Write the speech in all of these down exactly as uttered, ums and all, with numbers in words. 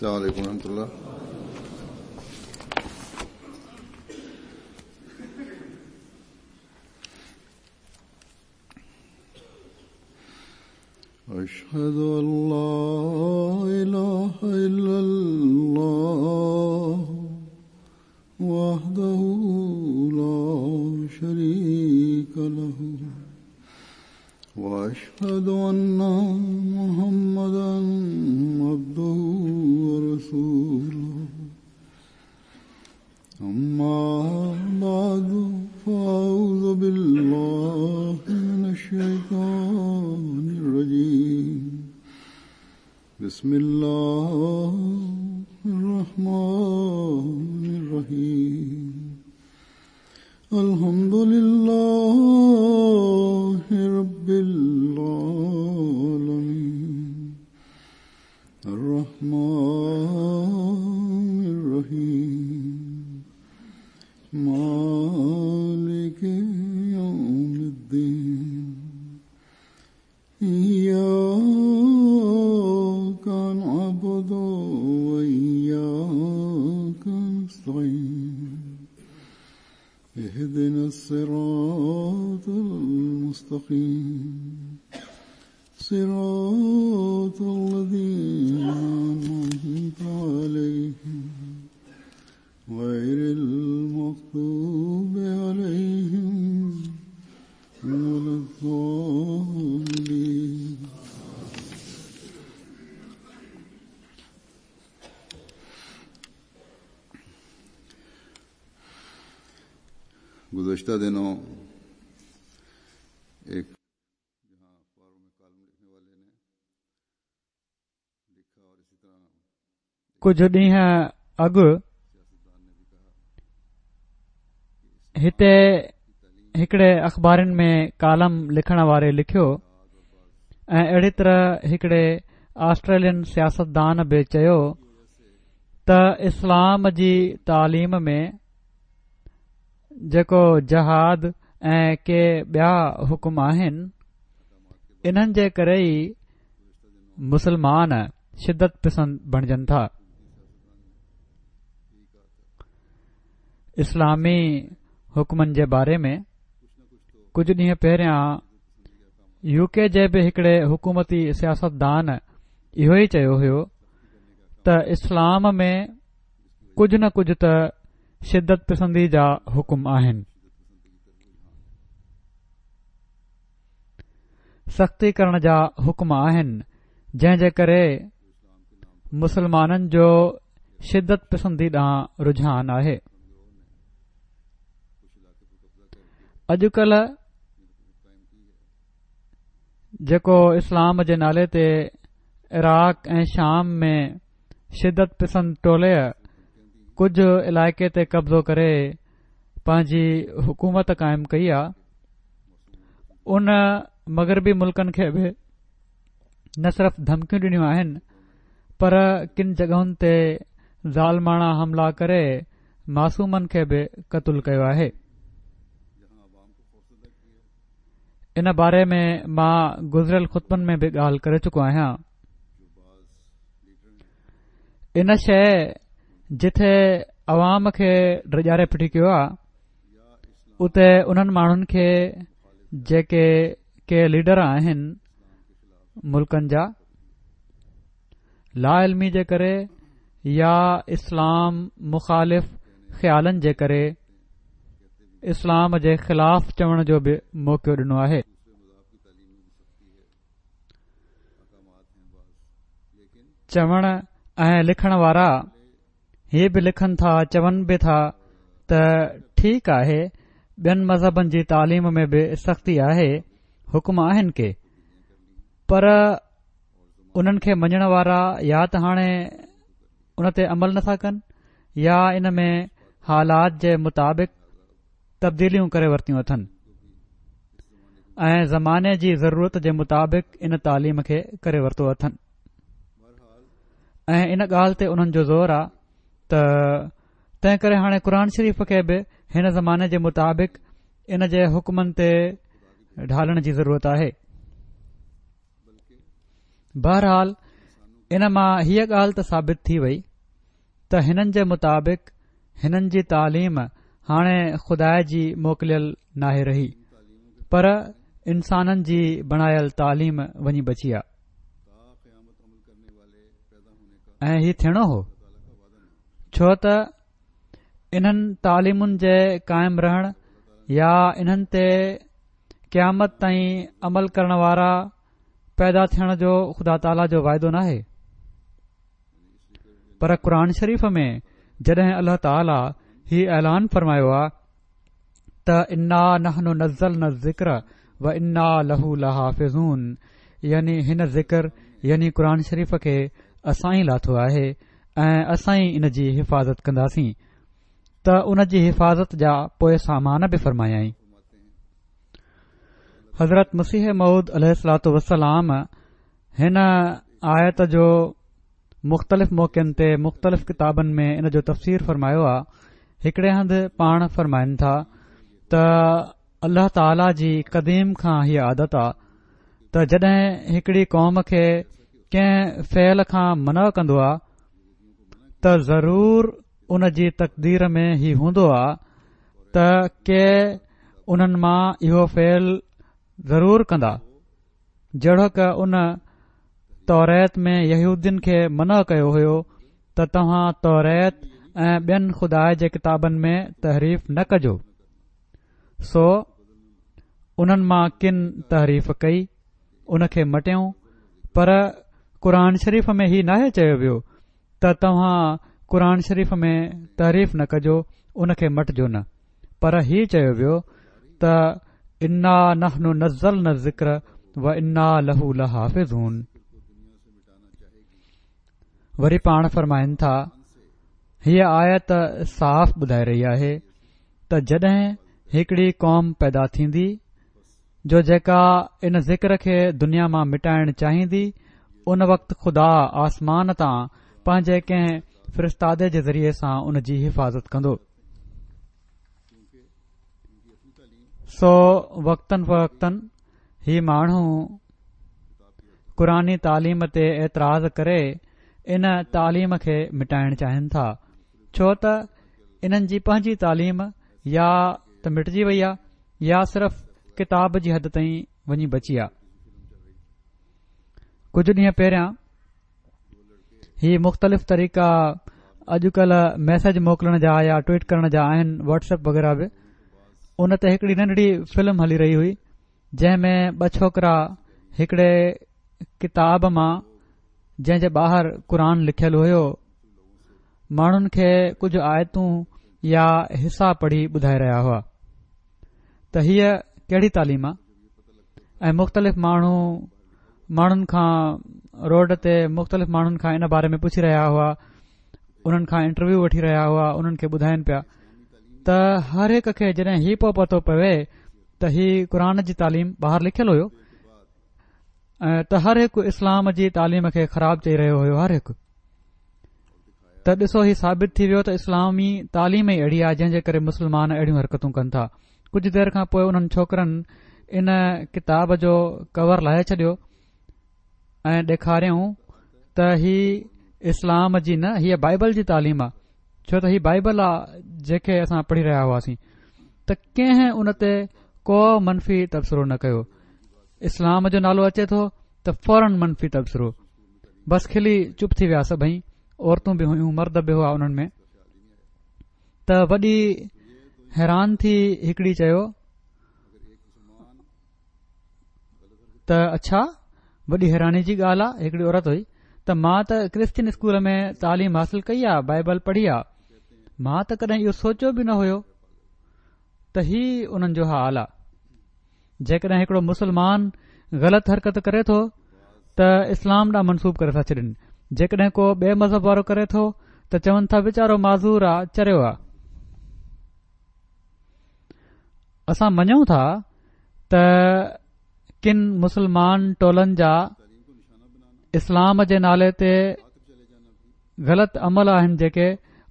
السلام علیکم ورحمۃ اللہ۔ أشهد أن لا إله إلا الله وحده لا شريك له وأشهد أن محمدا عبده ورسوله أما بعد فأعوذ بالله من الشيطان الرجيم بسم الله الرحمن الرحيم الحمد لله رب العالمين الرحمن الرحيم مالك يوم الدين إياك نعبد وإياك نستعين اهدنا الصراط المستقيم صراط الذين أنعمت عليهم غير المغضوب عليهم ولا الضالين. گزشتہ دنوں ایک جہاں اخباروں میں کالم لکھنے والے نے لکھا اور اسی طرح کچھ ڏينهن اڳ هتي هڪڙي اخبارن ۾ ڪالم لکڻ واري لکيو ۽ اهڙي طرح هڪڙي آسٽريلين سياستدان به چيو ته اسلام جي تعليم ۾ جيڪو جهاد ۽ ڪي ٻيا حڪم آهن انهن جي ڪري ئي مسلمان شدت پسند بڻجن ٿا. اسلامي حڪمن جي باري ۾ ڪجهه ڏينهن پهريان يو ڪي جي به هڪڙي حڪومتي سياستدان اهو ئي چيو هيو ته اسلام ۾ ڪجهه نه ڪجهه ته شدت پسندي جا حڪم آهن، سختي ڪرڻ جا حڪم آهن، جنهن جي ڪري مسلمانن جو شدت پسندي ڏانهن رجحان آهي. اڄڪلهه جيڪو اسلام جي نالي تي عراق ۽ شام ۾ شدت پسند ٽولي ڪجهه علائقي تي قبضو ڪري پنهنجي حڪومت قائم ڪئي آ، ان مغربي ملڪن کي به نه صرف ڌمڪيون ڏنيون آهن پر ڪن جڳهن تي ظالماڻا حملا ڪري معصومن کي به قتل ڪيو آهي. ان باري ۾ مان گذريل خطبن ۾ به ڳالهه ڪري چڪو آهيان. ان شيء جٿي عوام کي ڊڄاري ڦٽي ڪيو آ، اتي انهن ماڻهن کي جيڪي ڪي ليڊر آهن ملڪن جا، لا علمي جي ڪري يا اسلام مخالف خيالن جي ڪري اسلام جي خلاف چوڻ جو به موقعو ڏنو آهي. چوڻ ۽ لکڻ وارا هي به لکن ٿا، چون به ٿا ته ٺيڪ آهي، ٻين مذهبن جي تعليم ۾ به سختي آهي، حڪم آهن ڪي، پر انهن کي مڃڻ وارا يا ته هاڻي ان تي عمل نٿا ڪن يا ان ۾ حالات جي مطابق تبديليون ڪري ورتيون اٿن ۽ زماني جي ضرورت جي مطابق ان تعليم کي ڪري ورتو اٿن. ۽ ان ڳالهه تي انهن جو زور آ ته تنهن ڪري هاڻي قرآن شريف کي به هن زماني جي مطابق ان جي حڪمن تي ڍالڻ جي ضرورت آهي. بهرحال ان مان هيء ڳالهه ته ثابت ٿي وئي ته هنن جي مطابق هنن جي تعليم هاڻي خدا جي موڪليل ناهي رهي، پر انسانن جي بڻايل تعليم وڃي بچي آ. ۽ هي ٿيڻو هو، ڇو ته انهن تعليمن جي قائم رهڻ يا انهن تي قيامت تائين عمل ڪرڻ وارا پيدا ٿيڻ جو خدا تعاليٰ جو واعدو ناهي. پر قرآن شريف ۾ جڏهن الله تعاليٰ هي اعلان فرمايو آ ته انا نحن نزلنا الذڪر و انا له لحافظون، يعني هن ذڪر يعني قرآن شريف کي اسان ئي لاٿو آهي ۽ اسان ئي ان جي حفاظت ڪنداسين، ته ان جي حفاظت جا پوء سامان به فرمايائين. حضرت مسيح موعود عليه الصلوة والسلام هن آيت جو مختلف موقعن تي مختلف ڪتابن ۾ ان جو تفسير فرمايو آ. هڪڙي هنڌ پاڻ فرمائن ٿا ته الله تعاليٰ جي قديم کان هيء عادت آ ته جڏهن هڪڙي قوم کي ڪنهن فعل کان منع ڪندو آ ته ضرور ان جي تقدير ۾ هي هوندو آ ته ڪي انهن مان اهو فعل ضرور ڪندا، جهڙوڪ ان توريت ۾ يهودين کي منع ڪيو هيو ته توهان توريت ۽ ٻين خدا جي ڪتابن ۾ تحريف نه ڪجو، سو انهن مان ڪن تحريف ڪئي، ان کي مٽيائون. پر قرآن شريف ۾ هي ناهي چيو ويو ته توهان قرآن شريف ۾ تحريف نه ڪجو، ان کي مٽجو نه، پر هي چيو ويو ته انا نحن نزلنا الذڪر و انا له لحافظون. وري پاڻ فرمائن ٿا هيء آيت صاف ٻڌائي رهي آهي ته جڏهن هڪڙي قوم پيدا ٿيندي جو جيڪا ان ذڪر کي دنيا مان مٽائڻ چاهيندي، ان وقت خدا آسمان تان پنهنجي ڪنهن فرستادي جي ذريعي سان ان جي حفاظت ڪندو. سو وقتاً فوقتاً هي ماڻهو قرآني تعليم تي اعتراض ڪري ان تعليم کي مٽائڻ چاهين ٿا، ڇو ته انهن جي پنهنجي تعليم يا ته مٽجي وئي آ يا صرف ڪتاب جي حد تائين وڃي بچي آ. ڪجهه ڏينهن پهريان هي مختلف طريقا اڄڪلهه ميسيج موڪلڻ جا يا ٽوئيٽ ڪرڻ جا آهن، واٽس ايپ وغيره به، ان تي هڪڙي ننڍڙي فلم هلي رهي هئي جنهن ۾ ٻه ڇوڪرا هڪڙي ڪتاب مان جنهن جي ٻاهر قرآن لکيل هيو ماڻهن کي ڪجهه آيتون يا حصا پڙهي ٻڌائي رهيا هئا ته هيء ڪهڙي تعليم آ. ۽ مختلف ماڻهو ماڻهن کان روڊ تي مختلف ماڻهن کان ان باري ۾ پڇي رهيا هئا، انهن کان انٽرويو وٺي رهيا هئا، انهن کي ٻڌائين پيا ته هر هڪ کي جڏهن هي پو پتو پوي ته هي قرآن جي تعليم ٻاهر لکيل هيو ۽ ته هر هڪ اسلام جي تعليم کي خراب چئي رهيو هيو هر هڪ. ته ڏسو هي ثابت ٿي ويو ته اسلامي تعليم ئي اهڙي آهي جنهن جي ڪري مسلمان اهڙيون حرڪتون ڪن ٿا. ڪجهه دير کان پوء انهن ڇوڪرن ان ڪتاب جو ڪور لاهي ڇڏيو ۽ ڏيکاريائون ته هي اسلام جي نه، هيء بائبل جي تعليم آ، ڇو ته هي بائبل آ جيڪي اسان پڙهي رهيا هئاسين. ته ڪنهن ان تي ڪو منفي تبصرو نه ڪيو. اسلام جو نالو اچي ٿو ته فوراً منفي تبصرو، بس کلي چپ ٿي ويا سڀئي، عورتون به هيون مرد به هئا انهن ۾. ته وڏي حيران ٿي هڪڙي چيو ته اڇا، وڏي حيراني جي ڳالهه آ، هڪڙي عورت هئي ته مان ته ڪرسچن اسڪول ۾ تعليم حاصل ڪئي آ، بائبل پڙهي آ، مان ته ڪڏهن اهو سوچيو به نه هيو ته هي انهن جو حال آ. جيڪڏهن هڪڙو مسلمان غلط حرڪت ڪري ٿو ته اسلام ڏانهن منسوب ڪري ٿا ڇڏين، جيڪڏهن ڪو ٻئي مذهب وارو ڪري ٿو ته چون ٿا ويچارو معذور آ، چريو آ. اسان مڃون ٿا ته ڪن مسلمان ٽولن جا اسلام جي نالي تي غلط عمل آهن جيڪي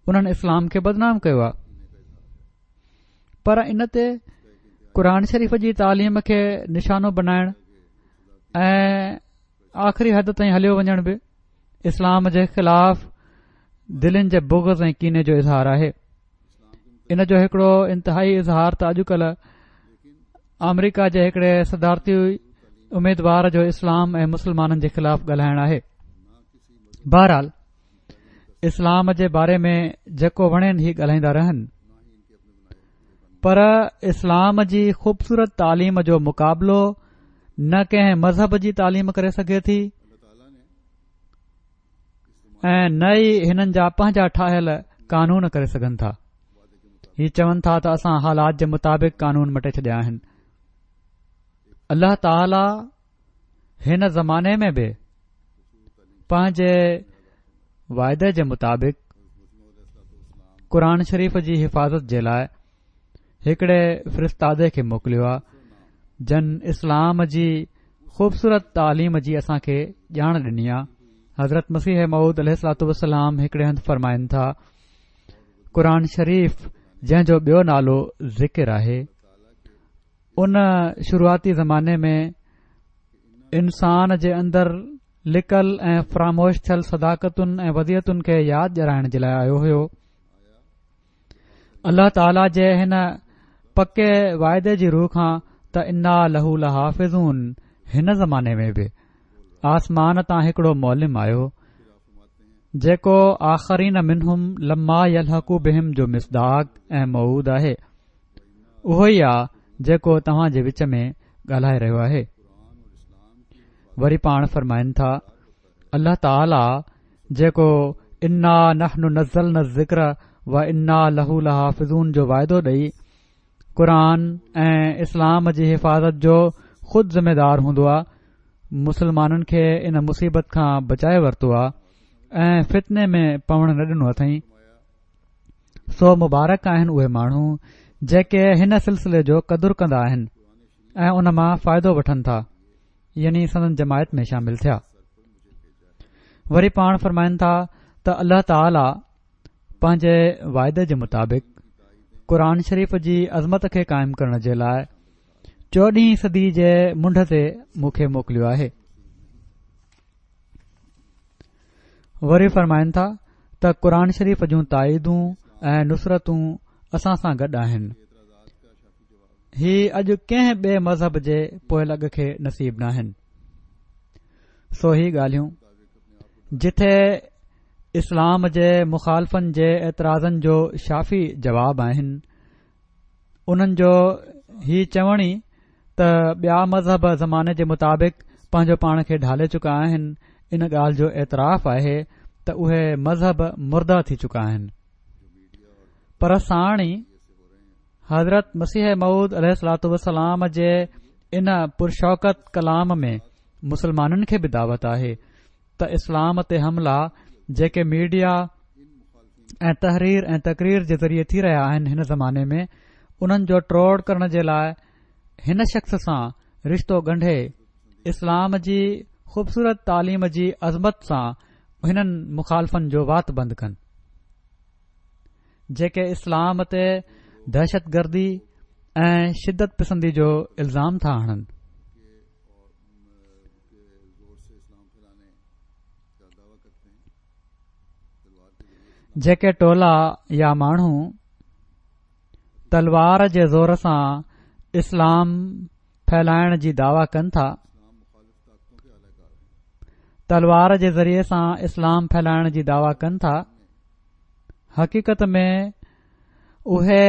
انهن اسلام کي بدنام ڪيو آ، پر ان تي قرآن شريف جي تعليم کي نشانو بنائڻ ۽ آخري حد تائين هليو وڃڻ به اسلام جي خلاف دلين جي بغض ۽ ڪيني جو اظهار آهي. ان جو هڪڙو انتهائي اظهار ته اڄڪلهه آمريڪا جي هڪڙي صدارتي اميدوار جو اسلام ۽ مسلمانن جي خلاف ڳالهائڻ آهي. بهرحال اسلام جي باري ۾ جيڪو وڻين هي ڳالهائيندا رهن، پر اسلام جي خوبصورت تعليم جو مقابلو نه ڪنهن مذهب جي تعليم ڪري سگهي ٿي ۽ نه ئي هنن جا پنهنجا ٺاهيل قانون ڪري سگهن ٿا. هي چون ٿا ته اسان حالات جي مطابق قانون مٽي ڇڏيا آهن. الله تعاليٰ هن زماني ۾ به پنهنجي واعدي جي مطابق قرآن شريف جي حفاظت جي لاءِ هڪڙي فرستادي کي موڪليو آهي، جن اسلام جي خوبصورت تعليم جي اسان کي ڄاڻ ڏني آهي. حضرت مسيح موعود عليه الصلوة والسلام هڪڙي هنڌ فرمائن ٿا، قرآن شريف جنهن جو ٻيو نالو ذڪر آهي، ان شروعاتي زماني ۾ انسان جي اندر لڪل ۽ فراموش ٿيل صداقتن ۽ وديعتن کي ياد ڏيارائڻ جي لاءِ آيو هيو. الله تعاليٰ جي هن پڪي واعدي جي رو کان ته انا له لحافظون، هن زماني ۾ به آسمان تان هڪڙو معلم آيو جيڪو آخرين منهم لما يلحقوا بهم جو مصداق ۽ موعود آهي. اهو ئي آ جيڪو توهان جي وچ ۾ ڳالهائي رهيو آهي. وري پاڻ فرمائن ٿا، الله تعاليٰ جيڪو انا نحن نزلنا الذڪر و انا له لحافظون جو واعدو ڏئي قرآن ۽ اسلام جي حفاظت جو خود ذمہ دار هوندو آ، مسلمانن کي ان مصيبت کان بچائي ورتو آ ۽ فتني ۾ پوڻ نه ڏنو اٿئين. سو مبارڪ آهن اهي ماڻهو جيڪي هن سلسلي جو قدر ڪندا آهن ۽ ان مان فائدو وٺن ٿا، يعني سندن جماعت ۾ شامل ٿيا. وري پاڻ فرمائن ٿا ته الله تعاليٰ پنهنجي واعدي جي مطابق قرآن شريف جي عظمت کي قائم ڪرڻ جي لاءِ چوڏهين صدي جي منڍ تي مون کي موڪليو آهي. وري فرمائن ٿا ته قرآن شريف جون تائيدون ۽ نصرتون اسان سان گڏ آهن، هي اڄ ڪنهن ٻئي مذهب جي پوئلڳ کي نصيب ناهن. سو هي ڳالهيون جٿي اسلام جي مخالفن جي اعتراضن جو شافي جواب آهن، انهن جو هي چوڻ ئي ته ٻيا مذهب زماني جي مطابق پنهنجو پاڻ کي ڍالي چڪا آهن، ان ڳالهه جو اعتراف آهي ته اهي مذهب مرده ٿي چڪا آهن. پر ساڻ ئي حضرت مسيح موعود عليه الصلوة والسلام جي ان پرشوڪت ڪلام ۾ مسلمانن کي به دعوت آهي ته اسلام تي حملا جيڪي ميڊيا ۽ تحرير ۽ تقرير جي ذريعي ٿي رهيا آهن هن زماني ۾ انهن جو ٽوڙ ڪرڻ جي لاءِ هن شخص سان رشتو ڳنڍي اسلام جي خوبصورت تعليم جي عظمت سان هنن مخالفن جو وات بند ڪن، جيڪي اسلام تي دهشت گردي ۽ شدت پسندي جو الزام ٿا هڻن. جيڪي ٽولا يا ماڻهو تلوار جي زور سان اسلام ڦهلائڻ جي دعويٰ ڪن ٿا، تلوار جي ذريعي سان اسلام ڦهلائڻ جي دعويٰ ڪن ٿا، حقيقت ۾ اهي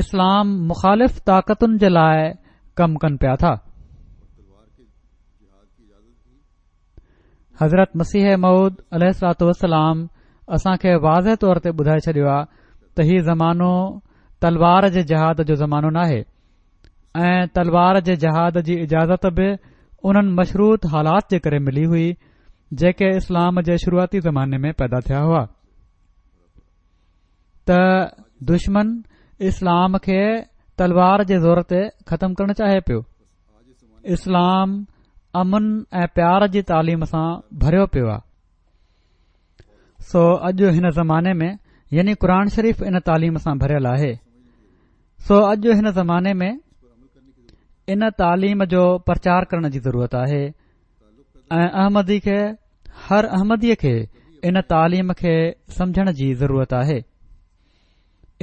اسلام مخالف طاقتن جي لاءِ ڪم ڪن پيا ٿا. حضرت مسيح موعود عليه الصلوة والسلام اسان کي واضح طور تي ٻڌائي ڇڏيو آهي ته هي زمانو تلوار جي جهاد جو زمانو ناهي ۽ تلوار جي جهاد جي اجازت به انهن مشروط حالات جي ڪري ملي هئي جيڪي اسلام جي شروعاتي زماني ۾ پيدا ٿيا هئا ته دشمن اسلام کي تلوار جي زور تي ختم ڪرڻ چاهي پيو. اسلام امن ۽ پيار جي تعليم سان ڀريو پيو آهي. سو اڄ هن زماني ۾ يعني قرآن شريف ان تعليم سان ڀريل آهي، سو اڄ هن زماني ۾ ان تعليم جو پرچار ڪرڻ جي ضرورت آهي ۽ احمدي کي هر احمديء کي ان تعليم کي سمجهڻ جي ضرورت آهي،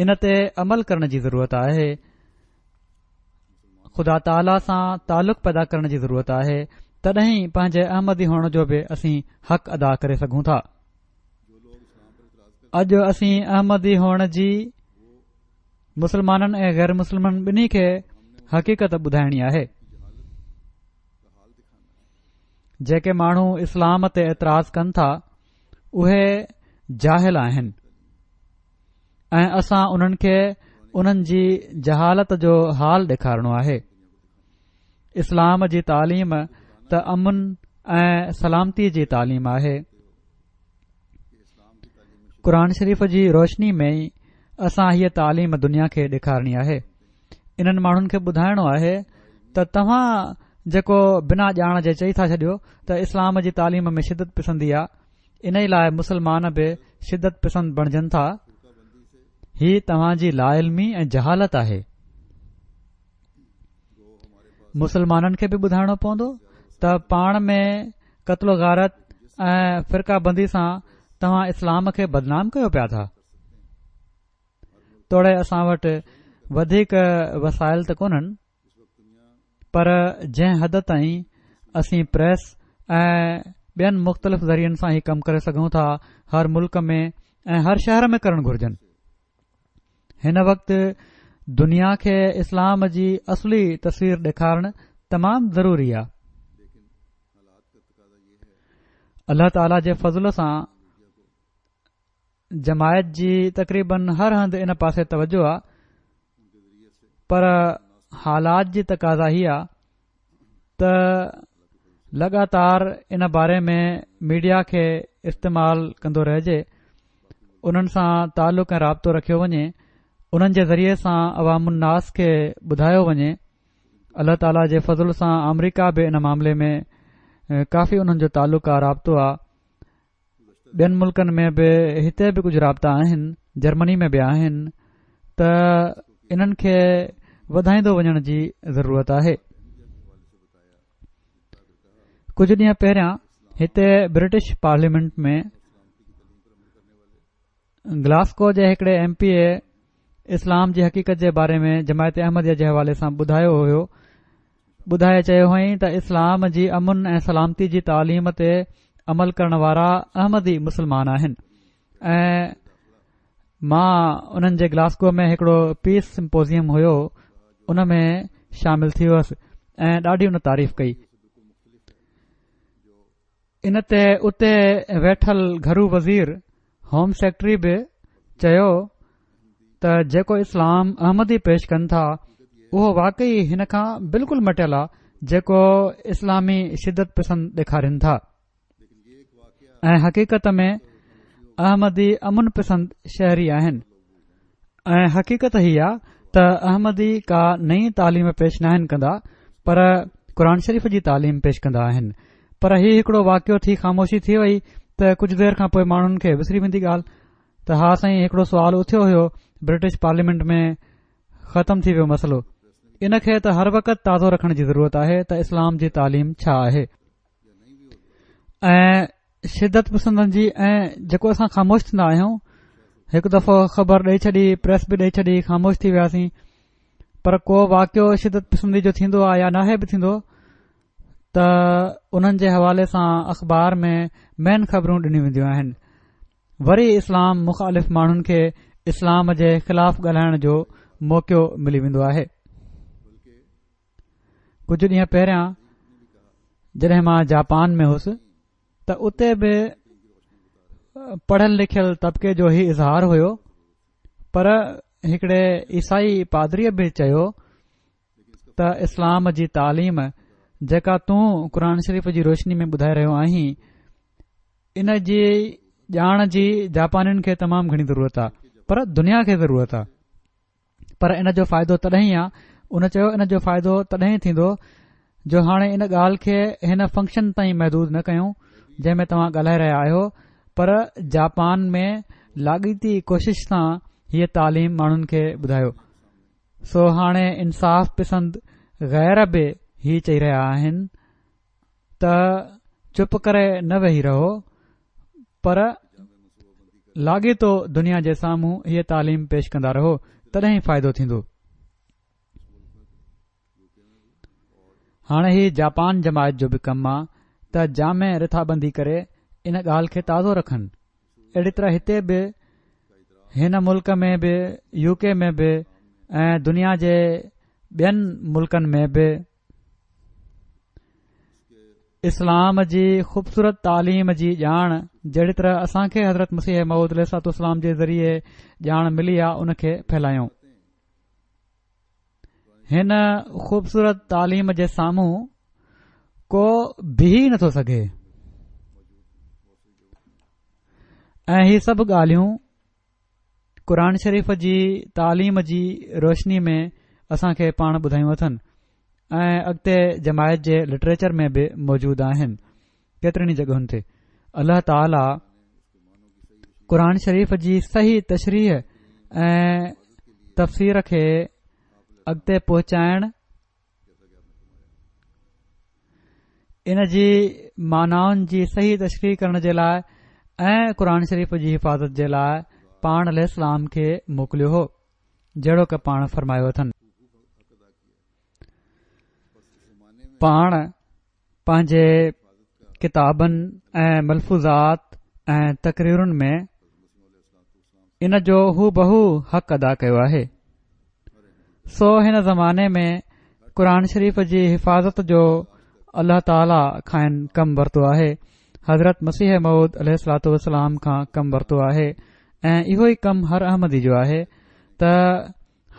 ان تي عمل ڪرڻ جي ضرورت آهي، خدا تعاليٰ سان تعلق پيدا ڪرڻ جي ضرورت آهي، تڏهن ئي پنهنجي احمدي هئڻ جو به اسين حق ادا ڪري سگهون ٿا. اڄ اسين احمدي هئڻ جي مسلمانن ۽ غير مسلمن ٻنهي کي حقيقت ٻڌائڻي آهي. جيڪي ماڻهو اسلام تي اعتراض ڪن ٿا اهي جاهل آهن ۽ اسان انهن کي انهن جي جهالت جو حال ڏيکارڻو آهي. اسلام جي تعليم ته امن ۽ سلامتي جي تعليم آهي. قرآن شريف جي روشني ۾ ئي اسان هيء تعليم دنيا کي ڏيکارڻي آهي. انهن ماڻهن کي ٻڌائڻو آهي ته توهان جيڪو بنا ڄاڻ جي چئي ٿا ڇڏيو ته اسلام جي تعليم ۾ شدت پسندي آ، انهي لاء مسلمان به شدت پسند بڻجن ٿا، هي توهان جي لاعلمي ۽ جهالت آهي. مسلمانن کي به ٻڌائڻو پوندو ته پاڻ ۾ قتل و غارت ۽ فرقه بندي سان توهان اسلام کي بدنام ڪيو پيا ٿا. توڙي اسان وٽ وڌيڪ وسائل ته ڪونهن، پر جنهن حد تائين اسين پريس ۽ ٻين مختلف ذريعن سان هي ڪم ڪري سگهون ٿا، هر ملڪ ۾ ۽ هر شهر ۾ ڪرڻ گهرجن. هن وقت دنيا کي اسلام جي اصلي تصوير ڏيکارڻ تمام ضروري آهي. الله تعاليٰ جي فضل سان جماعت جي تقريبن هر هنڌ ان پاسي توجه آ، پر حالات جي تقاضا هي آ ته لڳاتار ان باري ۾ ميڊيا کي استعمال ڪندو رهجي، انهن سان تعلق ۽ رابطو رکيو وڃي، انهن جي ذريعي سان عوام الناس کي ٻڌايو وڃي. الله تعاليٰ جي فضل سان آمريڪا به ان معاملي ۾ ڪافي انهن جو تعلق آ، رابطو آ. ٻين ملڪن ۾ به هتي به ڪجهه رابطا آهن، جرمني ۾ به آهن، ته انهن کي وڌائيندو وڃڻ جي ضرورت آهي. ڪجهه ڏينهن پهريان هتي برٽش پارليامينٽ ۾ گلاسڪو جي هڪڙي ايم پي اي اسلام جي حقيقت جي باري ۾ جماعت احمديه جي حوالي سان ٻڌايو هيو. ٻڌائي چيو هئائين ته اسلام جي امن ۽ سلامتي جي تعليم تي عمل ڪرڻ وارا احمدي مسلمان آهن ۽ مان انهن جي گلاسڪو ۾ هڪڙو پيس سمپوزيم هيو ان ۾ شامل ٿي هئس ۽ ڏاڍي ان تعريف ڪئي. ان تي اتي ويٺل گهرو وزير هوم سيڪريٽري به چيو ته جيڪو اسلام احمدي پيش ڪن ٿا اهو واقعي هن کان بلڪل مٽيل آ جيڪو اسلامي شدت پسند ڏيکارين ٿا ۽ حقيقت ۾ احمدي امن پسند شهري آهن ۽ حقيقت هي آ ته احمدي ڪا نئين تعليم پيش ناهن ڪندا پر قرآن شريف جي تعليم پيش ڪندا آهن. پر هي هڪڙو واقعو ٿي خاموشي ٿي وئي ته ڪجهه دير کان پوء ماڻهن کي وسري ويندي ڳالهه ته ها سائين هڪڙو سوال اٿيو هيو برٽش پارليامينٽ ۾ ختم ٿي ويو مسئلو. ان کي ته هر وقت تازو رکڻ جي ضرورت آهي ته اسلام جي تعليم ڇا آهي ۽ شدت پسندن جي ۽ جيڪو اسان خاموش ٿيندا آهيون هڪ دفعو خبر ڏئي ڇڏي پريس به ڏئي ڇڏي خاموش ٿي وياسين پر ڪو واقعو شدت پسندي جو ٿيندو آهي يا ناهي به ٿيندو ته انهن جي حوالي سان اخبار ۾ مين خبرون ڏنيون وينديون آهن. وري اسلام مخالف ماڻهن کي اسلام جي خلاف ڳالهائڻ جو موقعو ملي ويندو آهي. ڪجهه ڏينهن پهريان جڏهن مان جاپان ۾ هوس ته اتي به پڙهيل لکيل طبقي جو هي اظهار هيو، پر هڪڙي عيسائي پادريء به چيو ته اسلام جي تعليم جيڪا تون قرآن شريف جي روشني ۾ ٻڌائي رهيو آهين ان جي ڄاڻ جي جاپانين کي تمام گهڻي ضرورت آ، پر دنيا کي ضرورت آ، پر ان جو فائدو تڏهن ئي آ، ان چيو ان جو فائدو تڏهن ئي ٿيندو جو هاڻي ان ڳالهه کي هن فنڪشن تائين محدود نه ڪيون جنهن ۾ توهان ڳالهائي رهيا آهيو، پر جاپان ۾ لاڳيتي ڪوشش سان هيء تعليم ماڻهن کي ٻڌايو. سو هاڻي انصاف پسند غير به هي چئي رهيا آهن ته چپ ڪري نه ويهي رهو، پر لاڳيتو دنيا جي سامهون هيء تعليم پيش ڪندا رهو، تڏهن ئي فائدو ٿيندو. هاڻي هي جاپان جماعت جو به ڪم آ ته جامع رٿابندي ڪري ان ڳالهه کي تازو رکن. اهڙي طرح هتي به هن ملڪ ۾ به، يو ڪي ۾ به ۽ دنيا جي ٻين ملڪن ۾ به اسلام جي خوبصورت تعليم جي ڄاڻ جهڙي طرح اسان کي حضرت مسيح موعود عليه الصلوة والسلام جي ذريعي ڄاڻ ملي آ ان کي ڦهلايون. هن خوبصورت تعليم جي سامهون ڪو بيهي نٿو سگهي ۽ هي سڀ ڳالهيون قرآن شريف جي تعليم جي روشني ۾ اسان کي پاڻ ٻڌايون اٿن ۽ اڳتي جماعت جي لٽريچر ۾ به موجود آهن ڪيترين ئي جڳهن تي. الله تعاليٰ قرآن شريف جي صحيح تشريح ۽ تفسير کي اڳتي پهچائڻ، ان جي معنائن جي صحيح تشريح ڪرڻ جي لاء ۽ قرآن شريف جي حفاظت جي لاء پاڻ عليه السلام کي موڪليو هو، جهڙوڪ پاڻ فرمايو اٿن. پاڻ پنهنجي ڪتابن ۽ ملفوظات ۽ تقريرن ۾ ان جو هوبهو حق ادا ڪيو آهي. سو هن زماني ۾ قرآن شريف جي حفاظت جو الله تعاليٰ کانئن ڪم ورتو آهي، حضرت مسيح موعود عليه الصلوة والسلام کان ڪم ورتو آهي ۽ اهو ئي ڪم هر احمدي جو آهي ته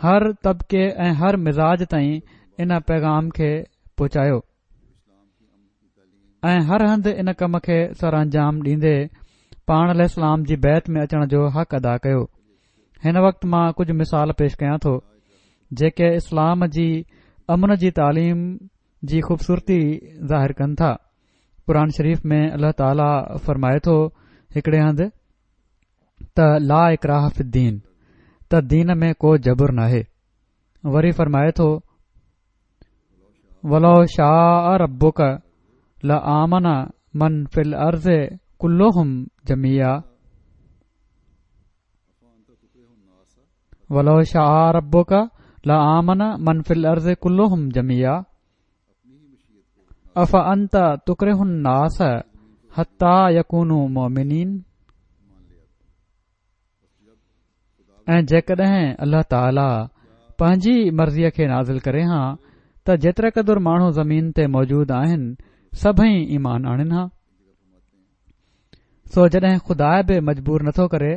هر طبقي ۽ هر مزاج تائين ان پيغام کي پهچايو ۽ هر هنڌ ان ڪم کي سرانجام ڏيندي پاڻ عليه السلام جي بيعت ۾ اچڻ جو حق ادا ڪيو. هن وقت مان ڪجهه مثال پيش ڪيان ٿو جيڪي اسلام جي امن جي تعليم جي خوبصورتي ظاهر ڪن ٿا. قرآن شريف ۾ الله تعاليٰ فرمائي ٿو هڪڙي هنڌ ته لا اڪراه في الدين، ته دين ۾ ڪو جبر ناهي. وري فرمائي ٿو ولو شاء ربک لآمن من في الارض ڪلهم جميعا، ولو شاء ربک لآمن من في الارض ڪلهم جميعا افانت تڪره الناس حتي يڪونوا مؤمنين. ۽ جيڪڏهن الله تعاليٰ پنهنجي مرضيء کي نازل ڪري ها ته جيتري قدر ماڻهو زمين تي موجود آهن سڀئي ايمان آڻين ها. سو جڏهن خدا به مجبور نٿو ڪري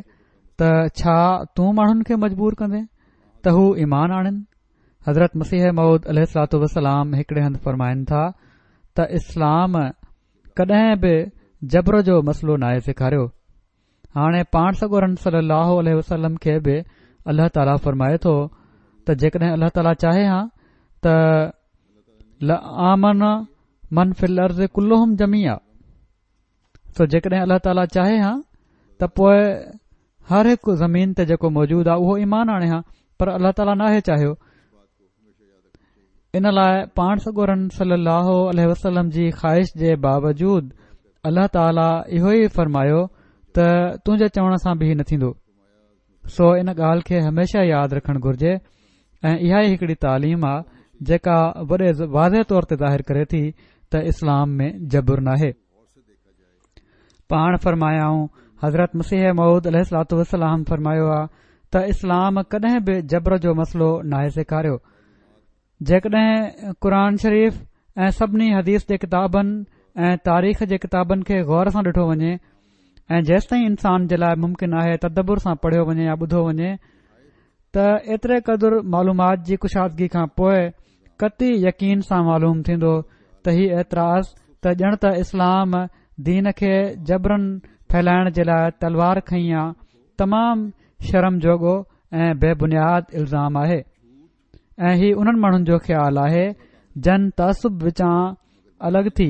ته ڇا تون ماڻهن کي مجبور ڪندين ته هو ايمان آڻين؟ حضرت مسيح موعود عليه الصلوة والسلام هڪڙي هنڌ فرمائن ٿا ته اسلام ڪڏهن به جبر جو مسئلو ناهي سيکاريو. هاڻي پاڻ سڳورن صلي الله عليه وسلم کي به الله تعاليٰ فرمائي ٿو ته جيڪڏهن الله تعاليٰ چاهي ها ته لآمن من في الارض ڪلهم جميعا، سو جيڪڏهن الله تعاليٰ چاهي ها ته پوء هر هڪ زمين تي جيڪو موجود آهي اهو ايمان آڻي ها، پر الله تعاليٰ ناهي چاهيو. ان لاء پاڻ سڳورن صلي الله عليه وسلم جي خواهش جي باوجود الله تعاليٰ اهو ئي فرمايو ته تنهنجي چوڻ سان به نه ٿيندو. سو ان ڳالهه کي هميشه ياد رکڻ گهرجي ۽ اها ئي هڪڙي تعليم آ جيڪا وڏي واضح طور تي ظاهر ڪري ٿي ته اسلام ۾ جبر ناهي. پاڻ فرمايائون، حضرت مسيح موعود عليه الصلوة والسلام فرمايو آ ته اسلام ڪڏهن به جبر جو مسئلو ناهي سيکاريو. جيڪڏهن قرآن شريف ۽ سڀني حديث جي ڪتابن ۽ تاريخ جي ڪتابن کي غور سان ڏٺو وڃي ۽ جيستائين انسان جي لاء ممڪن آهي تدبر سان پڙهيو وڃي يا ٻڌو وڃي ته ايتري قدر معلومات جي ڪشادگي کان پوء قطعي يقين سان معلوم ٿيندو ته هي اعتراض ته ڄڻ ته اسلام دين کي جبرن ڦهلائڻ جي لاء تلوار کنئي آ تمام شرم جوڳو ۽ بي بنياد الزام آهي ۽ هي انهن ماڻهن جو خيال آهي جن تعصب وچان الڳ ٿي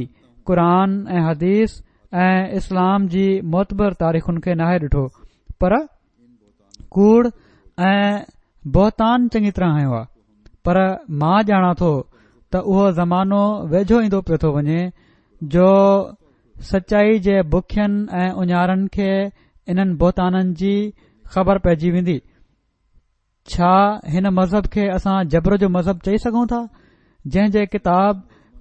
قرآن ۽ حديث ۽ اسلام جي معتبر تاريخن کي ناهي ڏٺو پر ڪوڙ ۽ بهتان چڱي طرح هنيو آ. پر مان ڄاڻان ٿو ته اهو زمانو ويجهو ايندو پيو ٿو وڃي جو سچائي جي بکين ۽ اڃارن کي انهن بهتانن جي خبر پئجي ويندي. ڇا هن مذهب کي اسان جبر جو مذهب چئي سگهون ٿا، جنهن جي ڪتاب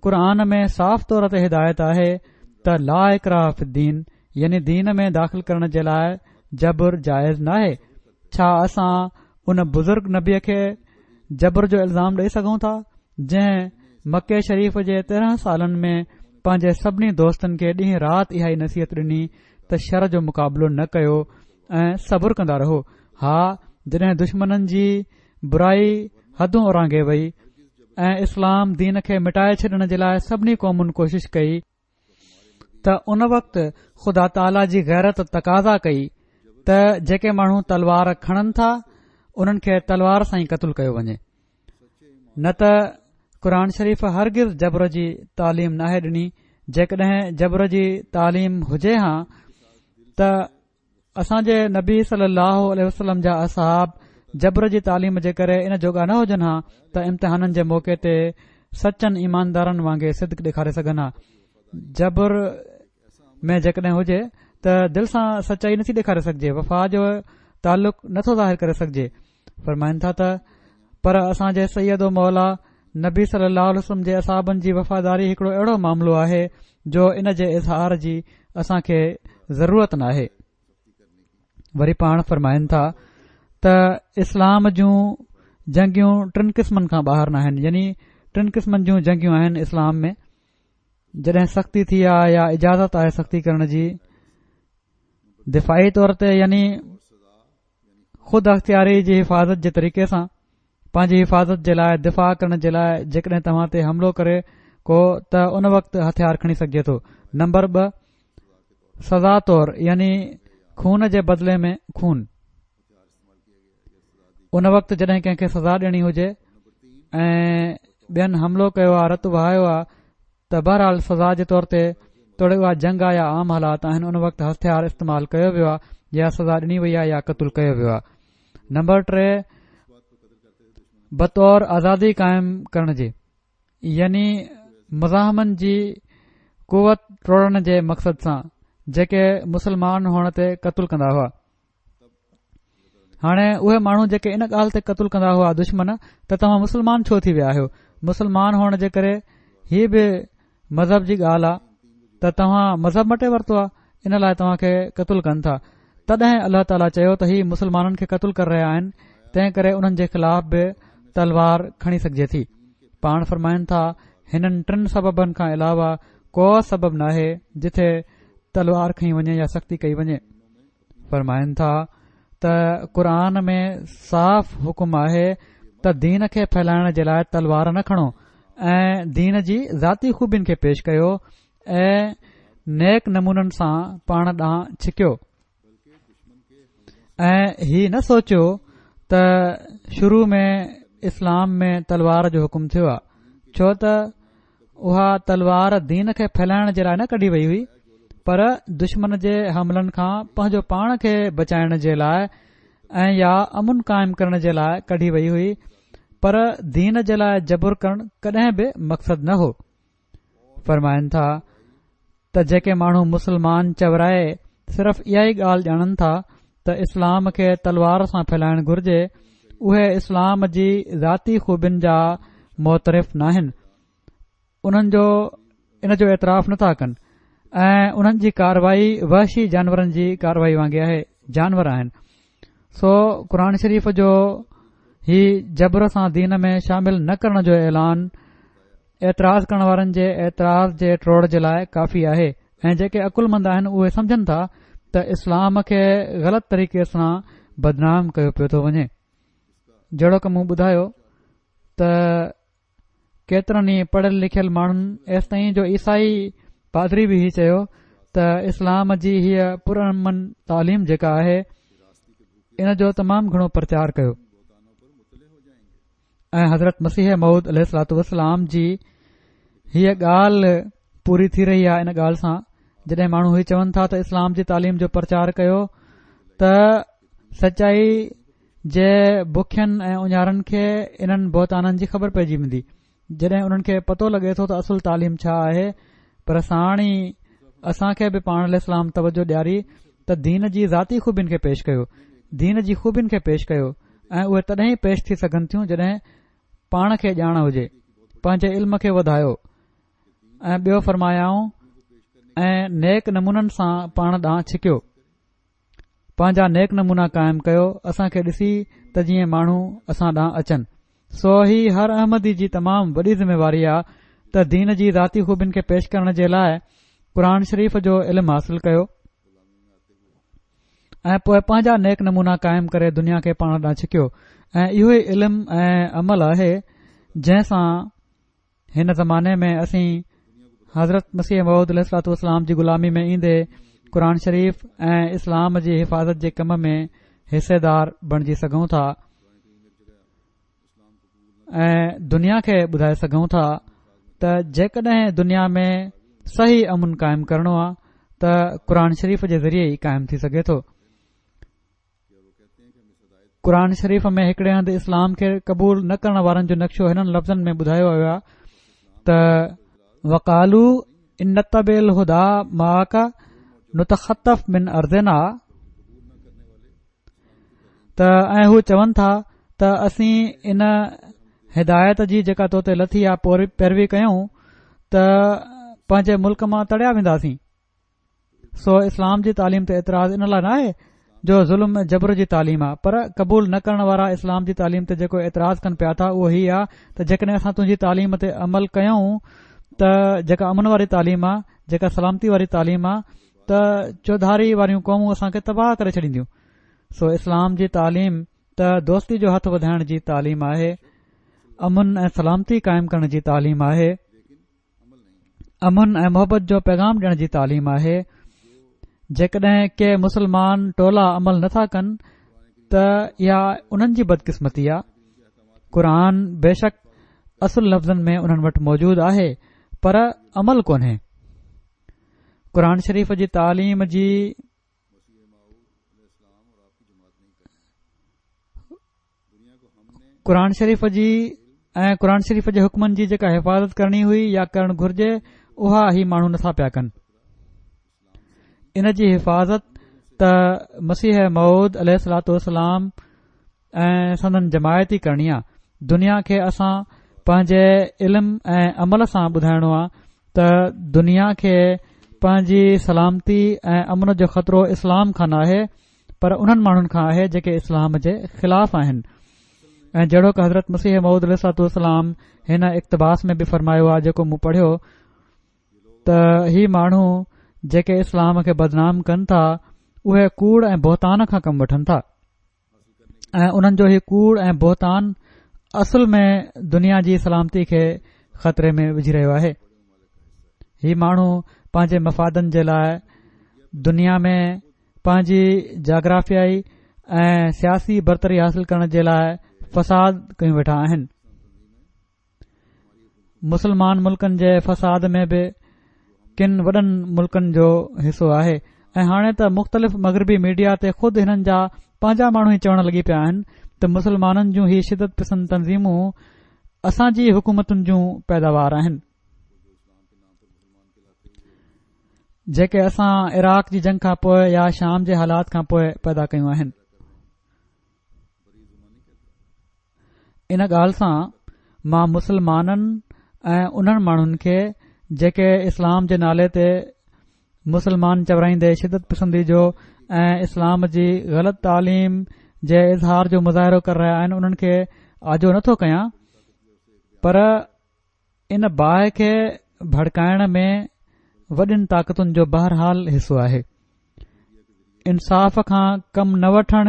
قرآن ۾ صاف طور تي هدايت آهي ته لا اڪراه في الدين، يعني دين ۾ داخل ڪرڻ جي لاء جبر جائز ناهي؟ ڇا اسان ان بزرگ نبيء کي جبر جو الزام ڏئي سگهون ٿا، جنهن مڪي شريف جي تيرهن سالن ۾ پنهنجي سڀني دوستن کي ڏينهن رات اها ئي نصيحت ڏني ته شر جو مقابلو نه ڪيو ۽ صبر ڪندا رهو؟ ها، جڏهن دشمنن جي برائي حدون اورانگهي وئي ۽ اسلام دين کي مٽائي ڇڏڻ جي لاء سڀني قومن ڪوشش ڪئي، ته ان وقت خدا تعاليٰ جي غيرت تقاضا ڪئي ته جيڪي ماڻهو تلوار کڻن ٿا انهن کي تلوار سان ئي قتل ڪيو وڃي، نه ته قرآن شريف هرگز جبر جي تعليم ناهي ڏني. جيڪڏهن جبر جي تعليم هجي ها ته اسان جي نبي صلي الله عليه وسلم جا اصحاب جبر جي تعليم جي ڪري ان جوڳا نه هجن ها ته امتحانن جي موقعي تي سچن ايماندارن وانگي صدق ڏيکاري سگهن ها. جبر ۾ جيڪڏهن هجي ته دل سان سچائي نٿي ڏيکاري سگهجي، وفا جو تعلق نٿو ظاهر ڪري سگهجي. فرمائن ٿا ته پر اسان جي سيد و مولا نبي صلي الله عليه وسلم جي اصحابن جي وفاداري هڪڙو اهڙو معاملو آهي جو ان جي اظهار جي اسان کي ضرورت ناهي. وري پاڻ فرمائن ٿا ته اسلام جون جنگيون ٽن قسمن کان ٻاهر ناهن، يعني ٽن قسمن جون جنگيون آهن اسلام ۾. جڏهن سختي ٿي آهي يا اجازت آهي سختي ڪرڻ جي، دفاعي طور تي يعني خود اختياري جي حفاظت جي طريقي سان پنهنجي حفاظت جي لاء دفاع ڪرڻ جي لاء جيڪڏهن توهان تي حملو ڪري ڪو ته ان وقت هٿيار کڻي سگهجي ٿو. نمبر ٻه، سزا طور يعني خون جي بدلي ۾ خون، ان وقت جڏهن ڪنهن کي سزا ڏيڻي هجي ۽ ٻين حملو ڪيو آهي، رت وهايو آهي، ته بهرحال سزا جي طور تي توڙي اها جنگ آهي يا عام حالات آهن، ان وقت هٿيار استعمال ڪيو ويو آهي يا سزا ڏني وئي آهي يا قتل ڪيو ويو آهي. نمبر ٽي، بطور آزادي قائم ڪرڻ جي يعني مزاحمن جي قوت ٽوڙڻ جي مقصد سان جيڪي مسلمان هئڻ تي قتل ڪندا هئا. هاڻي اهي ماڻهو جيڪي ان ڳالهه تي قتل ڪندا هئا دشمن، ته توهان مسلمان ڇو ٿي ويا آهيو؟ مسلمان هئڻ جي ڪري هي به مذهب جي ڳالهه آهي ته توهان مذهب مٽي ورتو آهي، ان لاء توهان کي قتل ڪن ٿا. تڏهن الله تعاليٰ چيو ته هي مسلمانن کي قتل ڪري رهيا آهن، تنهن ڪري انهن جي خلاف به تلوار کڻي سگهجي ٿي. پاڻ فرمائن ٿا هنن ٽن سببن کان علاوه ڪو سبب ناهي جٿي تلوار کڻي وڃي يا سختي ڪئي وڃي. فرمائن ٿا ته قرآن ۾ صاف حڪم آهي ته دين کي ڦهلائڻ جي لاء تلوار نه کڻو ۽ دين جي ذاتي خوبين کي پيش ڪيو ۽ نيڪ نمونن سان پاڻ ڏانهن ڇڪيو، ۽ هي نه سوچيو ته شروع ۾ اسلام ۾ تلوار جو حڪم ٿيو آهي، ڇو ته اها تلوار دين کي ڦهلائڻ جي لاء نه ڪڍي وئي هئي، پر دشمن جي حملن کان پنهنجو پاڻ کي بچائڻ جي لاء ۽ يا امن قائم ڪرڻ جي لاء ڪڍي وئي هئي، پر دين جي لاء جبر ڪرڻ ڪڏهن به مقصد نه هو. فرمائن ٿا ته جيڪي ماڻهو مسلمان چورائي صرف اها ئي ڳالهه ڄاڻن ٿا ته اسلام کي تلوار سان ڦهلائڻ گهرجي، اهي اسلام جي ذاتي خوبين جا معترف ناهن، انهن جو ان جو اعتراف نٿا ڪن ۽ انهن جي ڪارروائي وحشي جانورن جي ڪارروائي وانگي آهي، جانور آهن. سو قرآن شريف جو هي جبر سان دين ۾ شامل نه ڪرڻ جو اعلان اعتراض ڪرڻ وارن جي اعتراض جي ٽوڙ جي لاء ڪافي آهي، ۽ جيڪي عقلمند آهن اهي سمجهن ٿا ته اسلام کي غلط طريقي سان بدنام ڪيو پيو ٿو وڃي. جهڙوڪ مون ٻڌايو ته ڪيترن ئي پڙهيل لکيل ماڻهن ايستائين جو عيسائي پادري به هي چيو ته اسلام جي هيء پرامن تعليم جيڪا آهي ان جو تمام گهڻو پرچار ڪيو، ۽ حضرت مسيح موعود عليه الصلوة والسلام جي هيء ڳالهه پوري ٿي رهي آهي ان ڳالهه سان جڏهن ماڻهو هي چون ٿا ته اسلام جي تعليم جو پرچار ڪيو ته سچائي جي بکين ۽ اڃارن کي انهن بهتانن جي خبر پئجي ويندي. جڏهن انهن کي پتو لڳي ٿو ته اصل تعليم ڇا آهي، پر ساڻ ئي اسان کي به پاڻ عليه السلام توجه ڏياري ته دين جي ذاتي خوبين کي پيش ڪيو، دين جي خوبين کي پيش ڪيو ۽ اهي تڏهن ئي پيش ٿي سگهن ٿيون جڏهن پاڻ کي ڄاڻ هجي. پنهنجي علم کي وڌايو ۽ ٻيو فرمايائون ۽ نيڪ نمونن سان پاڻ ڏانهن ڇڪيو، پنهنجا نيڪ نمونا قائم ڪيو اسان کي ڏسي ته جيئن ماڻهو اسان ڏانهن اچن. سو هي هر احمدي جي تمام وڏي ذميواري آ ته دين جي ذاتي خوبين کي پيش ڪرڻ جي لاء قرآن شريف جو علم حاصل ڪيو ۽ پوء پنهنجا نيڪ نمونا قائم ڪري دنيا کي پاڻ ڏانهن ڇڪيو ۽ اهو ئي علم ۽ عمل آهي جنهن سان هن زماني ۾ اسين حضرت مسيح موعود عليه الصلوة والسلام جي غلامي ۾ ايندي قرآن شريف ۽ اسلام جي حفاظت جي ڪم ۾ حصيدار بڻجي سگهون ٿا ۽ دنيا کي ٻڌائي سگهون ٿا ته جيڪڏهن دنيا ۾ صحيح امن قائم ڪرڻو آ ته قرآن شريف جي ذريعي ئي قائم ٿي سگهي ٿو. قرآن شريف ۾ هڪڙي هنڌ اسلام کي قبول نه ڪرڻ وارن جو نقشو هنن لفظن ۾ ٻڌايو ويو آهي ته وقالوا ان نتبع الهديٰ معک نتخطف من ارضنا ته ۽ هو چون ٿا ته اسين ان هدايت جي جيڪا تو تي لٿي آ پيروي ڪيون ته پنهنجي ملڪ مان تڙيا وينداسين. سو اسلام جي تعليم تي اعتراض ان لاء ناهي جو ظلم ۽ جبر جي تعليم آ پر قبول نه ڪرڻ وارا اسلام جي تعليم تي جيڪو اعتراض ڪن پيا ٿا اهو هي آ ته جيڪڏهن اسان تنهنجي تعليم تي عمل ڪيون ته جيڪا امن واري تعليم آ جيڪا سلامتي واري تعليم آ ته چوڌاري واريون قومون اسان کي تباهه ڪري ڇڏينديون. سو اسلام جي تعليم ته دوستي جو هٿ وڌائڻ جي تعليم آهي، امن ۽ سلامتي قائم ڪرڻ جي تعليم آهي، امن ۽ محبت جو پيغام ڏيڻ جي تعليم آهي. جيڪڏهن ڪي مسلمان ٽولا عمل نٿا ڪن ته اها انهن جي بدقسمتي آ. قرآن بيشڪ اصل لفظن ۾ انهن وٽ موجود آهي پر عمل ڪونهي. قرآن شريف جي تعليم جي قرآن شريف جي ۽ قرآن شريف جي حڪمن جي جيڪا حفاظت ڪرڻي هئي يا ڪرڻ گهرجي اها هي ماڻهو نٿا پيا ڪن. ان جي حفاظت ته مسيح موعود عليه الصلوة والسلام ۽ سندن جماعت ئي ڪرڻي آ. دنيا کي اسان پنهنجي علم ۽ عمل سان ٻڌائڻو آ ته دنيا کي پنهنجي سلامتي ۽ امن جو خطرو اسلام کان ناهي پر انهن ماڻهن کان آهي جيڪي اسلام جي خلاف آهن. ۽ جهڙوڪ حضرت مسيح موعود عليه الصلوة والسلام هن اقتباس ۾ به فرمايو آهي جيڪو مون پڙهيو ته هي ماڻهو جيڪي اسلام کي بدنام ڪن ٿا اهي ڪوڙ ۽ بهتان کان ڪم وٺن ٿا ۽ انهن جو هي ڪوڙ ۽ بهتان اصل ۾ دنيا جي سلامتي کي خطري ۾ وجهي رهيو آهي. هي ماڻهو پنهنجي مفادن جي لاء دنيا ۾ پنهنجي جاگرافيائي ۽ سياسي برتري حاصل ڪرڻ جي لاء فساد ڪيون ويٺا آهن. مسلمان ملڪن جي فساد ۾ به ڪن وڏن ملڪن جو حصو آهي ۽ هاڻي ته مختلف مغربي ميڊيا تي خود هنن جا پنهنجا ماڻهو ئي چوڻ لڳي پيا آهن ته مسلمانن جون هي شدت پسند تنظيمون اسان جي حڪومتن جون پيداوار آهن جيڪي اسان عراق جي جنگ کان پوء يا شام جي حالات کان پوء پيدا ڪيون آهن. ان ڳالهه سان مان مسلمانن ۽ انهن ماڻهن کي جيڪي اسلام جي نالي تي مسلمان چورائيندي شدت پسندي جو ۽ اسلام جي غلط تعليم جي اظهار جو مظاهرو ڪري رهيا آهن انهن کي آجو نٿو ڪيان پر ان باهه کي ڀڙڪائڻ ۾ وڏين طاقتن جو بهرحال حصو آهي. انصاف کان ڪم نه وٺڻ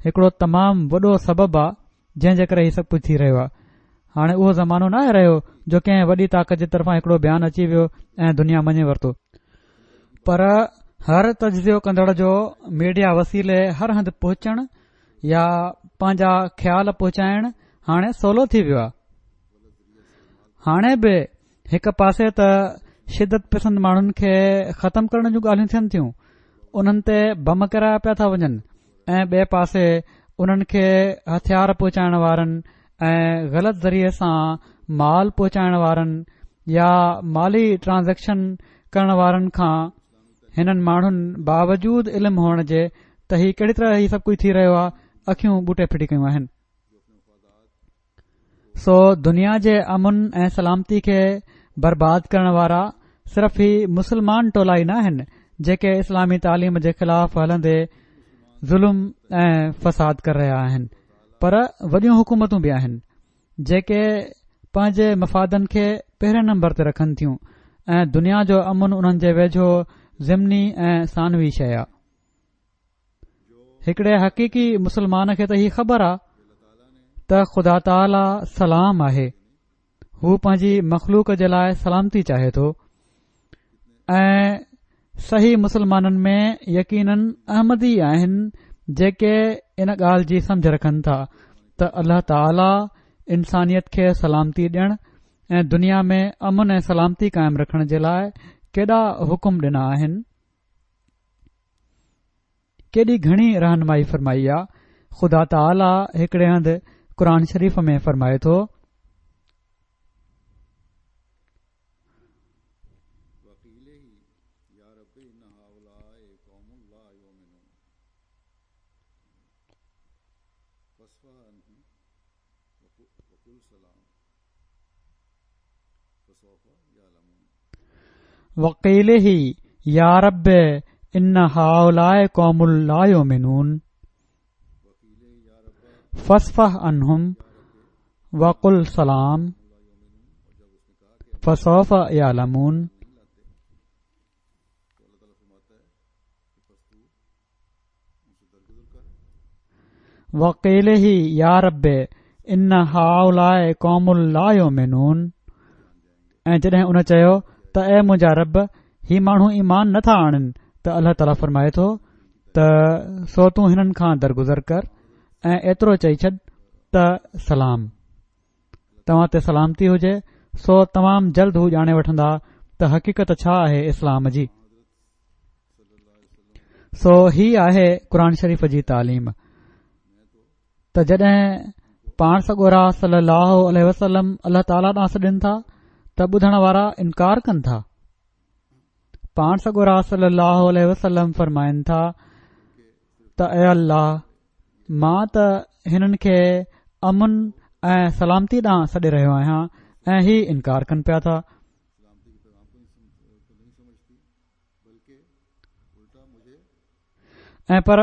هڪڙو تمام وڏو سبب آ جنهن جي ڪري هي سڀ ڪجهه ٿي رهيو آ. هاڻي اهو زمانو ناهي رهيو جو ڪنهن وڏي طاقت جي طرفان هڪڙو بيان اچي ويو ۽ دنيا مڃي ورتو. پر هر تجزيو ڪندڙ جو ميڊيا وسيلي هر هنڌ پهچڻ يا پنهنجا خيال پهچائڻ هاڻي سولو ٿي ويو آ. هاڻي به هڪ پاسي ته شدت پسند ماڻهن کي ختم ڪرڻ جون ڳالهيون ٿين ٿيون، انهن تي بم ڪيرايا پيا ٿا وڃن ۽ ٻئي پاسي انهن کي هٿيار پهچائڻ وارن ۽ غلط ذريعي سان مال پهچائڻ وارن يا مالي ٽرانزيڪشن ڪرڻ وارن کان هنن ماڻهن باوجود علم هئڻ جي ته هي ڪهڙي طرح هي سڀ ڪجهه ٿي رهيو آهي، اکيون ٻوٽي ڦٽي ڪيون آهن. سو دنيا جي امن ۽ سلامتي کي برباد ڪرڻ وارا صرف هي مسلمان ٽولا ئي نه آهن جيڪي اسلامي تعليم جي خلاف هلندي ظلم ۽ فساد ڪري رهيا آهن، پر وڏيون حڪومتون به آهن جيڪي پنهنجي مفادن کي پهرين نمبر تي رکن ٿيون ۽ دنيا جو امن انهن جي ويجهو ضمني ۽ ثانوي شيء آهي. هڪڙي حقيقي مسلمان کي ته هي خبر آ ته خدا تعاليٰ سلام آهي، هو پنهنجي مخلوق جي لاء سلامتي چاهي ٿو ۽ صحيح مسلمانن ۾ يقينن احمدي آهن جيڪي ان ڳالهه جي سمجهه رکن ٿا ته الله تعاليٰ انسانيت کي سلامتي ڏيڻ ۽ دنيا ۾ امن ۽ سلامتي قائم رکڻ جي لاء ڪيڏا حڪم ڏنا آهن، ڪيڏي گهڻي رهنمائي فرمائي آ. خدا تعاليٰ هڪڙي هنڌ قرآن شريف ۾ فرمائي ٿو. وقيله يا رب ان هؤلاء قوم لا يؤمنون فاصفح عنهم وقل سلام فسوف يعلمون. وقيله يا رب ان هؤلاء قوم لا يؤمنون. ۽ جڏهن ان چيو ته اي منهنجا رب هي ماڻهو ايمان نٿا آڻن، ته الله تعاليٰ فرمائي ٿو ته سو تون هنن کان درگذر ڪر ۽ ايترو چئي ڇڏ ته سلام، توهان تي سلامتي هجي. سو تمام جلد هو ڄاڻي وٺندا ته حقيقت ڇا آهي اسلام جي. سو هي آهي قرآن شريف جي تعليم ته جڏهن پاڻ سڳورا صلي الله عليه وسلم الله تعاليٰ ڏانهن سڏين ٿا ته ٻڌڻ وارا انڪار ڪن ٿا. پاڻ سڳورا صلي الله عليه وسلم فرمائن ٿا ته اي الله، مان ته هنن کي امن ۽ سلامتي ڏانهن سڏي رهيو آهيان ۽ هي انڪار ڪن پيا ٿا. ۽ پر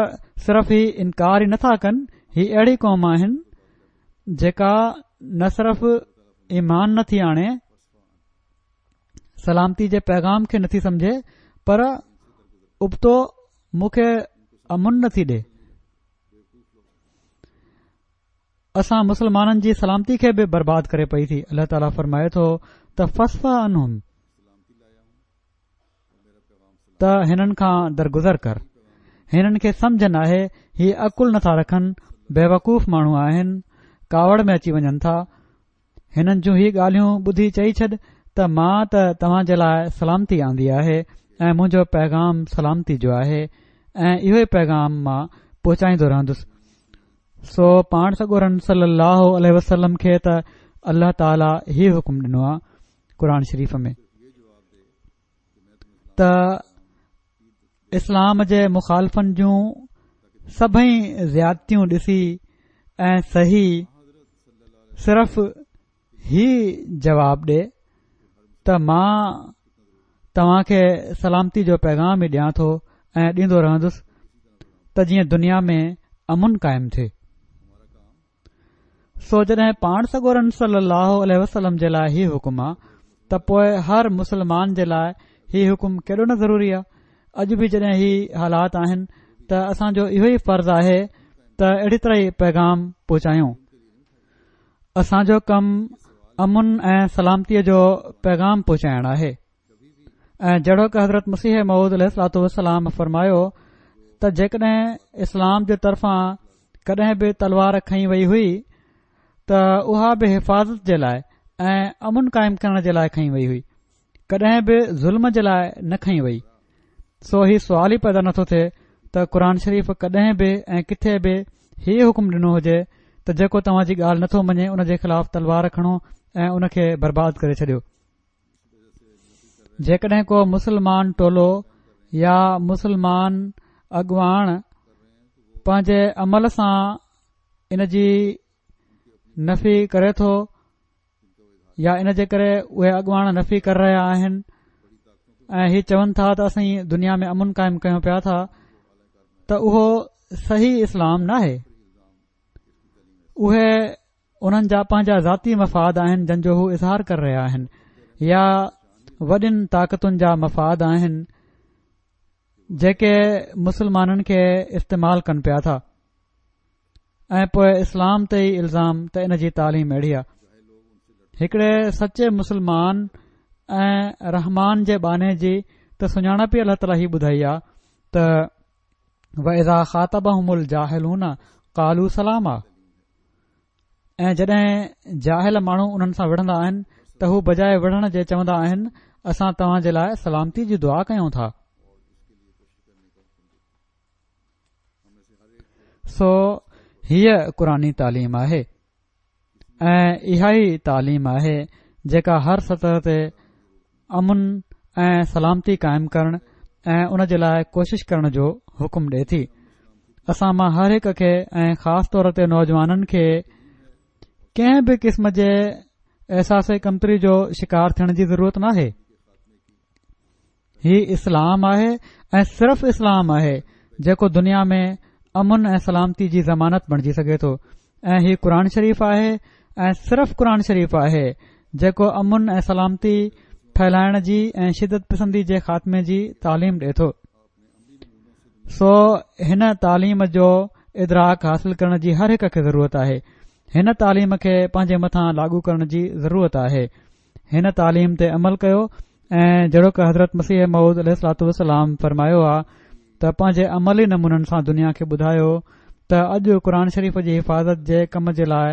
صرف هي انڪار ئي نٿا ڪن، هي اهڙي قوم آهن جيڪا نه صرف ايمان نٿي آڻي، سلامتي جي پيغام کي نٿي سمجهي، پر ابتو مون کي امن نٿي ڏي. اسان مسلمانن جي سلامتي کي به برباد ڪري پئي ٿي. الله تعاليٰ فرمائي ٿو ته فاصفح عنهم، ته هنن کان درگذر ڪر، هنن کي سمجهه ناهي، هي عقل نٿا رکن، بيوقوف ماڻهو آهن، ڪاوڙ ۾ اچي وڃن ٿا. هنن جون هي ڳالهيون ٻڌي چئي ڇڏ ته مان ته توهان جي لاء سلامتي آندي آهي ۽ منهنجو پيغام سلامتي جو آهي ۽ اهو ئي پيغام مان پهچائيندو رهندس. سو پاڻ سڳورن صلي الله عليه وسلم کي ته الله تعاليٰ هي حڪم ڏنو آهي قرآن شريف ۾ ته اسلام جي مخالفن جون سڀئي زيادتيون ڏسي ۽ سهي صرف هي جواب ڏي ته مان توهان کي سلامتي جو پيغام ئي ڏيان ٿو ۽ ڏيندو رهندس ته جيئن دنيا ۾ امن قائم ٿئي. سو جڏهن پاڻ سڳورن صلي الله عليه وسلم جي لاء هي حڪم آ ته پوء هر مسلمان جي لاء هي حڪم ڪيڏو نه ضروري آ. اڄ به جڏهن هي حالات آهن ته اسان جو اهو ئي فرض آهي ته اهڙي طرح ئي پيغام پهچايون. اسان جو ڪم امن ۽ سلامتيء جو پيغام پهچائڻ آهي. ۽ جهڙوڪ حضرت مسيح موعود عليه الصلوة والسلام فرمايو ته جيڪڏهن اسلام جي طرفان ڪڏهن به تلوار کنئي وئي هئي ته اها به حفاظت جي لاء ۽ امن قائم ڪرڻ جي لاء کنئي وئي هئي، ڪڏهن به ظلم جي لاء نه کنئي وئي. سو هي سوال ئي پيدا نٿو ٿئي ته قرآن شريف ڪڏهن به ۽ ڪٿي به هي حڪم ڏنو هجي ته جيڪو توهان جي ڳالهه نٿو مڃي ان جي خلاف تلوار کڻو ۽ ان کي برباد ڪري ڇڏيو. جيڪڏهن ڪو مسلمان ٽولو يا مسلمان اڳواڻ پنهنجي عمل سان ان جي نفي ڪري ٿو يا ان جي ڪري اهي اڳواڻ نفي ڪري رهيا آهن ۽ هي چون ٿا ته اسين دنيا ۾ امن قائم ڪيون پيا ٿا ته اهو صحيح اسلام ناهي. اهي انهن جا پنهنجا ذاتي مفاد آهن جن جو هو اظهار ڪري رهيا آهن يا وڏين طاقتن جا مفاد آهن جيڪي مسلمانن کي استعمال ڪن پيا ٿا ۽ پوء اسلام تي ئي الزام ته ان جي تعليم اهڙي آهي. هڪڙي سچي مسلمان ۽ رحمان جي ٻانهي جي ته سڃاڻپ ئي الله تعاليٰ هي ٻڌائي آهي ته وَإِذَا خَاطَبَهُمُ الْجَاهِلُونَ قَالُوا سَلَامًا، ۽ جڏهن جاهل ماڻهو انهن سان وڙهندا آهن ته هو بجاء وڙهڻ جي چوندا آهن اسان توهان جي لاء سلامتي جي دعا ڪيون ٿا. سو هيء قرآني تعليم آهي ۽ اها ئي تعليم آهي جيڪا هر سطح تي امن ۽ سلامتي قائم ڪرڻ ۽ ان جي لاء ڪوشش ڪرڻ جو حڪم ڏئي ٿي. اسان مان هر هڪ کي ۽ خاص طور تي نوجوانن کي ڪنهن به قسم جي احساس ڪمتري جو شڪار ٿيڻ جي ضرورت ناهي. هي اسلام آهي ۽ صرف اسلام آهي جيڪو دنيا ۾ امن ۽ سلامتي جي ضمانت بڻجي سگهي ٿو، ۽ هي قرآن شريف آهي ۽ صرف قرآن شريف آهي جيڪو امن ۽ سلامتي ڦهلائڻ جي ۽ شدت پسندي جي خاتمي جي تعليم ڏئي ٿو. سو هن تعليم جو ادراڪ حاصل ڪرڻ جي هر هڪ کي ضرورت آهي. هن تعليم کي پنهنجي مٿان لاڳو ڪرڻ جي ضرورت آهي. هن تعليم تي عمل ڪيو ۽ جهڙوڪ حضرت مسيح موعود عليه الصلوة والسلام فرمايو آ ته پنهنجي عملي نمونن سان دنيا کي ٻڌايو ته اڄ قرآن شريف جي حفاظت جي ڪم جي لاء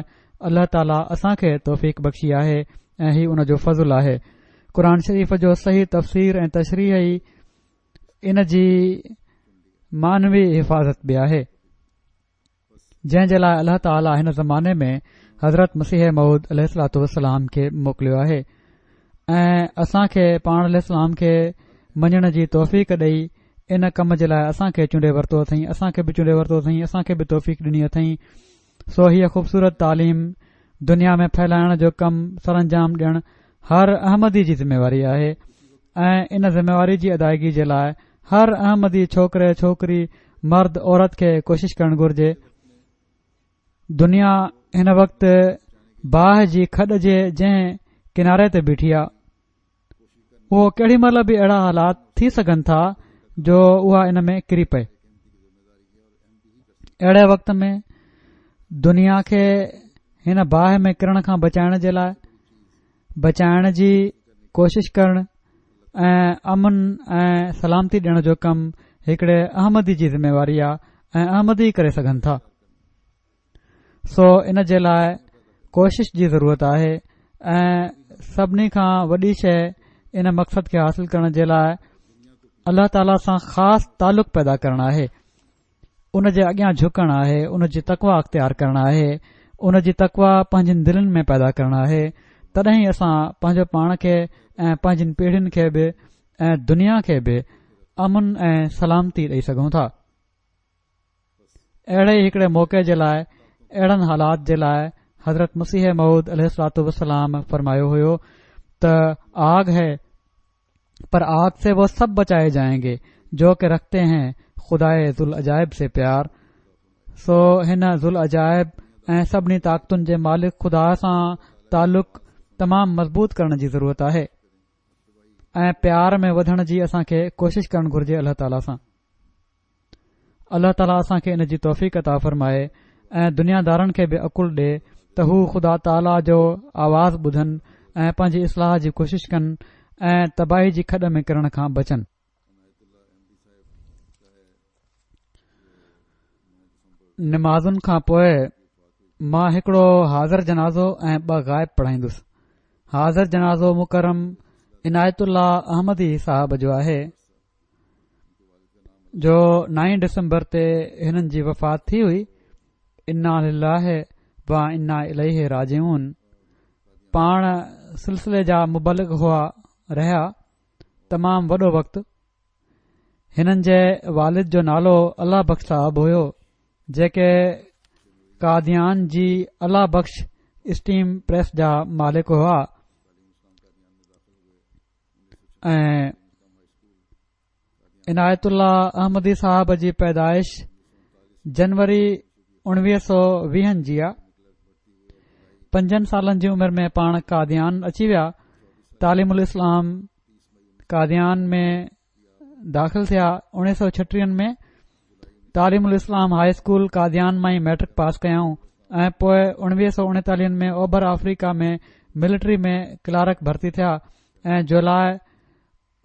الله تعاليٰ اسان کي توفيق بخشي آهي ۽ هي ان جو فضل آهي. قرآن شريف جو صحيح تفسير ۽ تشريح ئي ان جي معنوي حفاظت به آهي، جنهن جي لاء الله تعاليٰ هن زماني ۾ حضرت مسيح موعود عليه الصلوة والسلام کي موڪليو آهي ۽ اسان کي پاڻ عليه السلام کي مڃڻ جي توفيق ڏئي ان ڪم جي لاء اسان کي چونڊي ورتو اٿئين، اسان کي به چونڊي ورتو اٿئين، اسان کي به توفيق ڏني اٿئين. سو هيء خوبصورت تعليم دنيا ۾ ڦهلائڻ جو ڪم سرانجام ڏيڻ هر احمدي جي ذميواري آهي ۽ ان ذميواري جي ادائگي جي لاء هر احمدي ڇوڪري ڇوڪري مرد عورت کي ڪوشش ڪرڻ گهرجي. دنيا هن وقت باهه جي کڏ جي جنهن ڪناري تي بيٺي آ، اهو ڪهڙي مهل به اهڙا حالات ٿي سگهن ٿا جو اها ان ۾ ڪري پئي. اهڙي وقت ۾ دنيا کي هن باهه ۾ ڪرڻ کان بچائڻ جي لاء بچائڻ جي ڪوشش ڪرڻ ۽ امن ۽ سلامتي ڏيڻ جو ڪم هڪڙي احمدي جي ذميواري آ ۽ احمدي ئي ڪري سگهن ٿا. سو ان جي لاء ڪوشش جي ضرورت آهي ۽ سڀني کان وڏي شيء ان مقصد کي حاصل ڪرڻ جي لاء الله تعاليٰ سان خاص تعلق پيدا ڪرڻ آهي، ان جي اڳيان جهڪڻ آهي، ان جي تقويٰ اختيار ڪرڻ آهي، ان جي تقويٰ پنهنجين دلين ۾ پيدا ڪرڻ آهي. تڏهن ئي اسان پنهنجو پاڻ کي ۽ پنهنجين پيڙهين کي به ۽ دنيا کي به امن ۽ سلامتي ڏئي سگهون ٿا. اهڙي ئي هڪڙي موقعي جي لاء، اهڙن حالات جي لاء حضرت مسيح موعود عليه الصلوة والسلام فرمايو هيو ته آگ هي پر آگ سي وہ سب بچائي جائين گي جو ڪه رکتي هين خدائي ذوالعجائب سي پيار. سو هن ذوالعجائب ۽ سڀني طاقتن جي مالڪ خدا سان تعلق تمام مضبوط ڪرڻ جي ضرورت آهي ۽ پيار ۾ وڌڻ جي اسان کي ڪوشش ڪرڻ گهرجي الله تعاليٰ سان. الله تعاليٰ اسان کي ان جي توفيق عطا فرمائي ۽ دنيا دارن کي به عقل ڏي ته هو خدا تعاليٰ جو آواز ٻڌن ۽ پنهنجي اصلاح جي ڪوشش ڪن ۽ تباهي جي کڏ ۾ ڪرڻ کان بچن. نمازن کان پوء مان هڪڙو حاضر جنازو ۽ ٻه غائب پڙهائيندس. حاضر جنازو مڪرم عنايت الله احمدي صاحب جو آهي، جو نائين ڊسمبر تي هنن جي وفات ٿي هئي. انا لله و انا اليه راجعون. پاڻ سلسلي جا مبلغ هئا رهيا تمام وڏو وقت. هنن جي والد جو نالو الله بخش صاحب هيو، جيڪي قاديان جي الله بخش اسٽيم پريس جا مالڪ هئا ۽ عنايت الله احمدي صاحب جي پيدائش جنوري اڻويهه سؤ ويهن جي آ. پنجن سالن جي عمر ۾ پاڻ قاديان اچي ويا. تعليم الاسلام قاديان ۾ داخل ٿيا. اڻويهه سؤ ڇٽيهن ۾ تعليم الاسلام هائي اسڪول قاديان مان ئي ميٽرڪ پاس ڪيائون ۽ پوء اڻويهه سؤ اڻيتاليهن ۾ اوڀر آفريڪا ۾ ملٽري ۾ ڪلارڪ ڀرتي ٿيا ۽ جولاء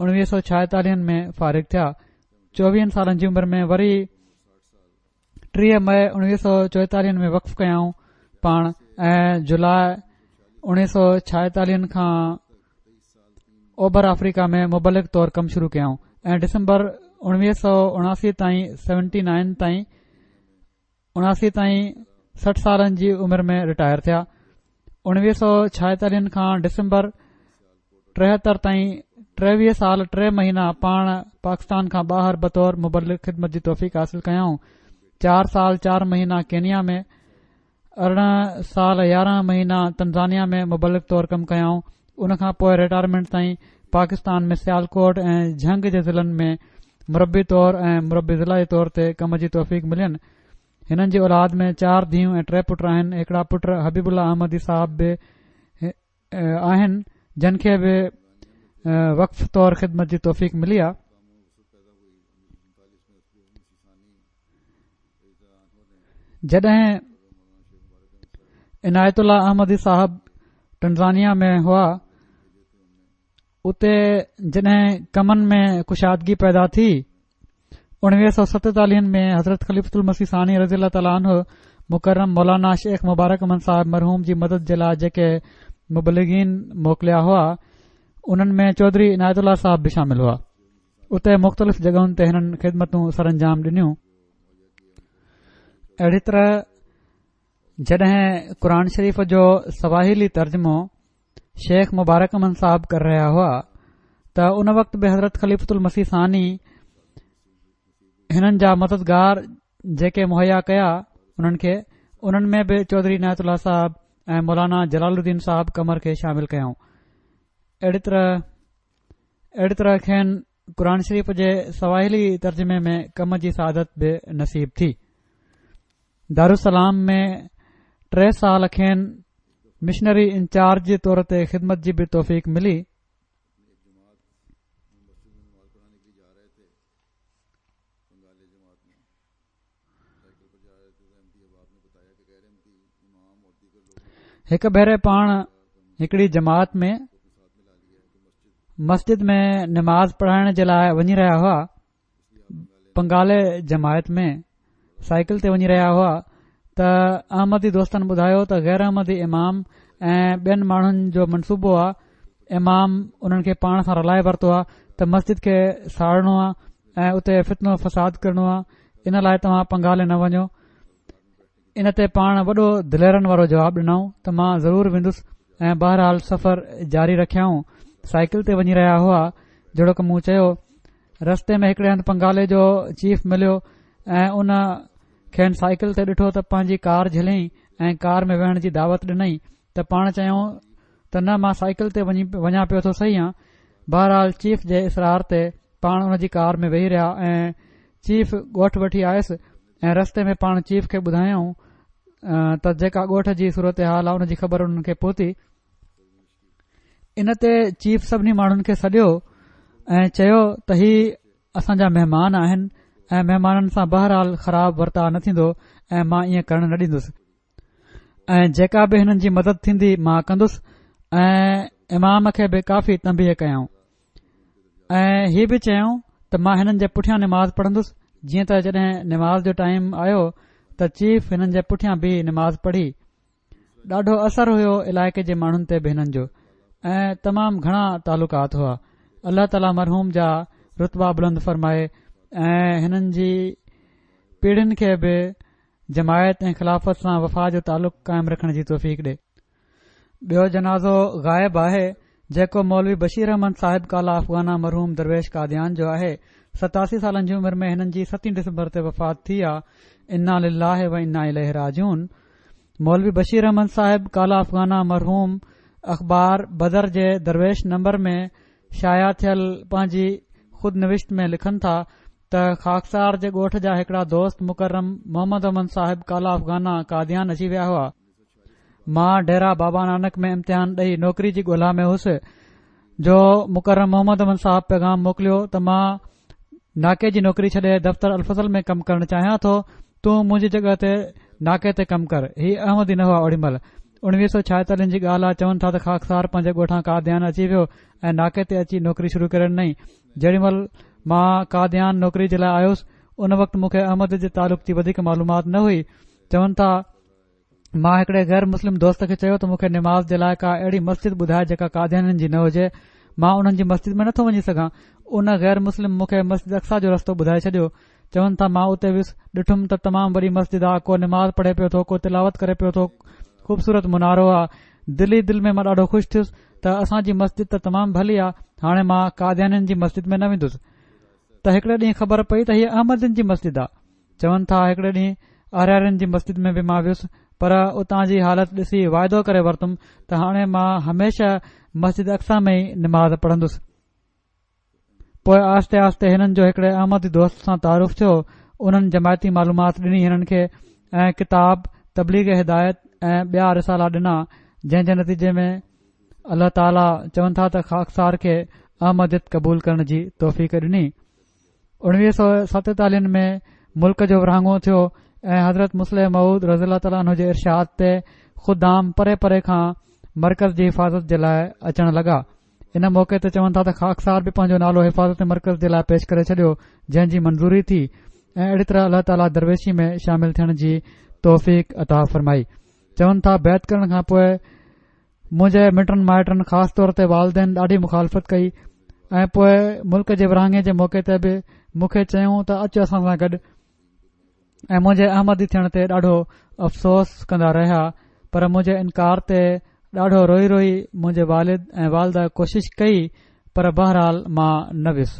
اڻويهه سؤ ڇائيتاليهن ۾ فارغ ٿيا. چوويهن سالن جي عمر ۾ وري ٽيهه مئي اڻويهه سؤ چوئيتاليهن ۾ وقف ڪيائون پاڻ ۽ جولاء اڻويهه سؤ ڇائيتاليهن کان اوڀر آفريڪا ۾ مبلغ طور ڪم شروع ڪيائون ۽ ڊسمبر اڻويهه سؤ اڻاسي تائين سيونٽي نائن تائين اڻاسي تائين سٺ سالن جي عمر ۾ رٽائر ٿيا. اڻويهه سؤ ڇائيتاليهن کان ڊسمبر ٽيهتر تائين ٽيويهه سال ٽي مهينا پاڻ پاڪستان کان ٻاهر بطور مبلغ خدمت جي توفيق حاصل ڪيائون. چار سال چار مهينا ڪينيا ۾، ارڙهن سال يارهن مهينا تنزانيا ۾ مبلغ طور ڪم ڪيائون. ان کان پوءِ رٽائرمينٽ تائين پاڪستان ۾ سيالڪوٽ ۽ جهنگ جي ضلعن ۾ مربي طور ۽ مربي ضلع جي طور تي ڪم جي توفيق ملين. هنن جي اولاد ۾ چار ڌيئون ۽ ٽي پٽ آهن. هڪڙا پٽ حبيب الله احمدي صاحب به آهن، جن کي به وقف طور خدمت جي توفيق ملي آ. جڏهن عنايت الله احمدي صاحب ٽنزانيا ۾ هئا، اتي جڏهن ڪمن ۾ ڪشادگي پيدا ٿي، اڻويهه سؤ ستيتاليهن ۾ حضرت خليفة المسيح ثاني رضي الله تعاليٰ عنه مڪرم مولانا شيخ مبارڪ احمد صاحب مرحوم جي مدد جي لاءِ جيڪي مبلغين موڪليا هئا، انهن ۾ چوڌري عنايت الله صاحب به شامل هئا. اتي مختلف جڳهن تي هنن خدمتون سر انجام ڏنيون. اهڙي طرح جڏهن قرآن شريف جو سواحلي ترجمو شيخ مبارڪ احمد صاحب ڪري رهيا هئا ته ان وقت به حضرت خليفة المسيح ثاني هنن جا مددگار جيڪي مهيا ڪيا انهن کي، انهن ۾ به چوڌري عنايت الله صاحب ۽ مولانا جلال الدين صاحب قمر کي شامل ڪيائون. اهڙي طرح اهڙي طرح کين قرآن شريف جي سواحلي ترجمي ۾ ڪم جي سعادت به نصيب ٿي. دارالسلام ۾ ٽي سال کين مشنري انچارج جي طور تي خدمت جي به توفيق ملي. هڪ ڀيري پاڻ هڪڙي جماعت ۾ مسجد ۾ نماز پڙهائڻ جي لاءِ وڃي رهيا هئا. بنگالي جماعت ۾ سائيڪل تي وڃي رهيا هئا ته احمدي دوستن ٻڌايو ته غير احمدي امام ۽ ٻين ماڻهن جو منصوبو آ، امام انهن کي پاڻ سان رلائي ورتو آ ته مسجد کي ساڙڻو آ ۽ اتي فتنو فساد ڪرڻو آ، ان لاءِ توهان پنگالي نه وڃو. ان تي پاڻ وڏو دليرن وارو جواب ڏنائون ته مان ضرور ويندس ۽ بهرحال سفر جاري رکيائون. سائيڪل تي وڃي رهيا هئا، جهڙوڪ مون چيو، رستي ۾ هڪڙي هنڌ پنگالي جو چيف مليو ۽ ان کين سائيڪل تي ڏٺو ته پنهنجي ڪار جهليائين ۽ ڪار ۾ ويهڻ جي دعوت ڏنائين ته پاڻ چيائون ته نه، مان سائيڪل تي وڃي وڃان پيو ٿو صحيح آن. بهرحال چيف جي اصرار تي پاڻ ان جي ڪار ۾ ويهي رهيا ۽ چيف ڳوٺ وٺي آيس ۽ رستي ۾ پاڻ چيف کي ٻڌايائون ته جيڪا ڳوٺ جي صورتحال آ ان جي خبر انهن کي پهتي. ان تي چيف سڀني ماڻهن کي سڏيو ۽ چيو ته هي اسان جا مهمان آهن ۽ مهمانن سان بهرحال خراب ورتاءُ نه ٿيندو ۽ مان ائين ڪرڻ نه ڏيندس ۽ جيڪا به هنن جي مدد ٿيندي مان ڪندس. ۽ امام کي به ڪافي تنبيهه ڪيائون ۽ هي به چيائون ته مان هنن جي پٺيان نماز پڙهندس. جيئن ته جڏهن نماز جو ٽائيم آيو ته چيف هنن جي پٺيان بيهي نماز پڙهي. ڏاڍو اثر هيو علائقي جي ماڻهن تي به هنن جو ۽ تمام گهڻا تعلقات هئا. الله تعاليٰ مرحوم جا رتبا بلند فرمائي ۽ هنن جي پيڙهين کي به جماعت ۽ خلافت سان وفا جو تعلق قائم رکڻ جي توفيق ڏي. ٻيو جنازو غائب آهي، جيڪو مولوي بشير احمد صاحب ڪالا افغانا مرحوم درويش قاديان جو آهي. ستاسي سالن جي عمر ۾ هنن جي ستين ڊسمبر تي وفات ٿي آ. انا لله و انا اليه راجعون. مولوي بشير احمد صاحب ڪالا افغانا مرحوم اخبار بدر جي درويش نمبر ۾ شايع ٿيل پنهنجي خود نوشت ۾ لکن ٿا ته خاڪسار جي ڳوٺ جا هڪڙا دوست مڪرم محمد احمد صاحب ڪالا افغانا قاديان اچي ويا هئا. مان ڊيرا بابا نانڪ ۾ امتحان ڏئي نوڪري جي ڳولا ۾ هوس جو مڪرم محمد احمد صاحب پيغام موڪليو ته مان ناڪي جي نوڪري ڇڏي دفتر الفضل ۾ ڪم ڪرڻ چاهيان ٿو، تون منهنجي جڳهه تي ناڪي تي ڪم ڪر. هي احمدي نه هئا اوڏي مهل. اڻويهه سؤ ڇائيتاليهن جي ڳالهه آهي. چون ٿا ته خاڪسار پنهنجي ڳوٺان قاديان اچي ويو ۽ ناڪي تي اچي نوڪري شروع ڪري ڏنائين. جيڏي مهل مان قاديان نوڪري جي لاءِ آيس ان وقت مون کي احمد جي تعلق جي وڌيڪ معلومات نه هئي. چون ٿا مان هڪڙي غير مسلم دوست کي چيو ته مون کي نماز جي لاءِ ڪا اهڙي مسجد ٻڌائي جيڪا قاديانين جي نه هجي، مان انهن جي مسجد ۾ نٿو وڃي سگهان. ان غير مسلم مون کي مسجد اقصيٰ جو رستو ٻڌائي ڇڏيو. چون ٿا مان اتي ويس، ڏٺم ته تمام وڏي مسجد آ، ڪو نماز پڙهي پيو ٿو، ڪو تلاوت ڪري پيو ٿو، خوبصورت منارو آ. دل ئي دل ۾ مان ڏاڍو خوش ٿيس ته اسان جي مسجد ته تمام ڀلي آ، هاڻي مان قاديانين جي مسجد ۾ نه ويندس. ته هڪڙي ڏينهن خبر پئي ته هيءَ احمدين جي مسجد آ. چون ٿا هڪڙي ڏينهن آريارين جي مسجد ۾ به مان ويس، پر اتان جي حالت ڏسي واعدو ڪري ورتم ته هاڻي مان هميشه مسجد اقصيٰ ۾ ئي نماز پڙهندس. پوءِ آهستي آهستي هنن جو هڪڙي احمدي دوست سان تعارف ٿيو. انهن جماعتي معلومات ڏني هنن کي ۽ ڪتاب تبليغ هدايت ۽ ٻيا رسالا ڏنا، جنهن جي نتيجي ۾ الله تعاليٰ چون ٿا ته خاڪسار کي احمديت قبول ڪرڻ جي توفيق ڏني. اڻويهه سؤ ستيتاليهن ۾ ملڪ جو ورهاڱو ٿيو ۽ حضرت مصلح موعود رضي الله تعاليٰ عنه جي ارشاد تي خدام پري پري کان مرڪز جي حفاظت جي لاءِ اچڻ لڳا. ان موقعي تي چون ٿا ته خاڪسار به پنهنجو نالو حفاظت مرڪز جي لاءِ پيش ڪري ڇڏيو، جنهن جي منظوري ٿي ۽ اهڙي طرح الله تعاليٰ درويشي ۾ شامل ٿيڻ جي توفيق عطا فرمائي. چون ٿا بيعت ڪرڻ کان پوءِ منهنجي مٽن مائٽن خاص طور تي والدين ڏاڍي مخالفت ڪئي ۽ پوءِ ملڪ جي ورهاڱي جي موقعي تي به مون کي چيائون ته اچ اسان سان گڏ، ۽ منهنجي احمدي ٿيڻ تي ڏاڍو افسوس ڪندا رهيا. پر منهنجي انڪار تي ڏاڍو روئي روئي منهنجي والد ۽ والده ڪوشش ڪئي، پر بهرحال مان نه ويس.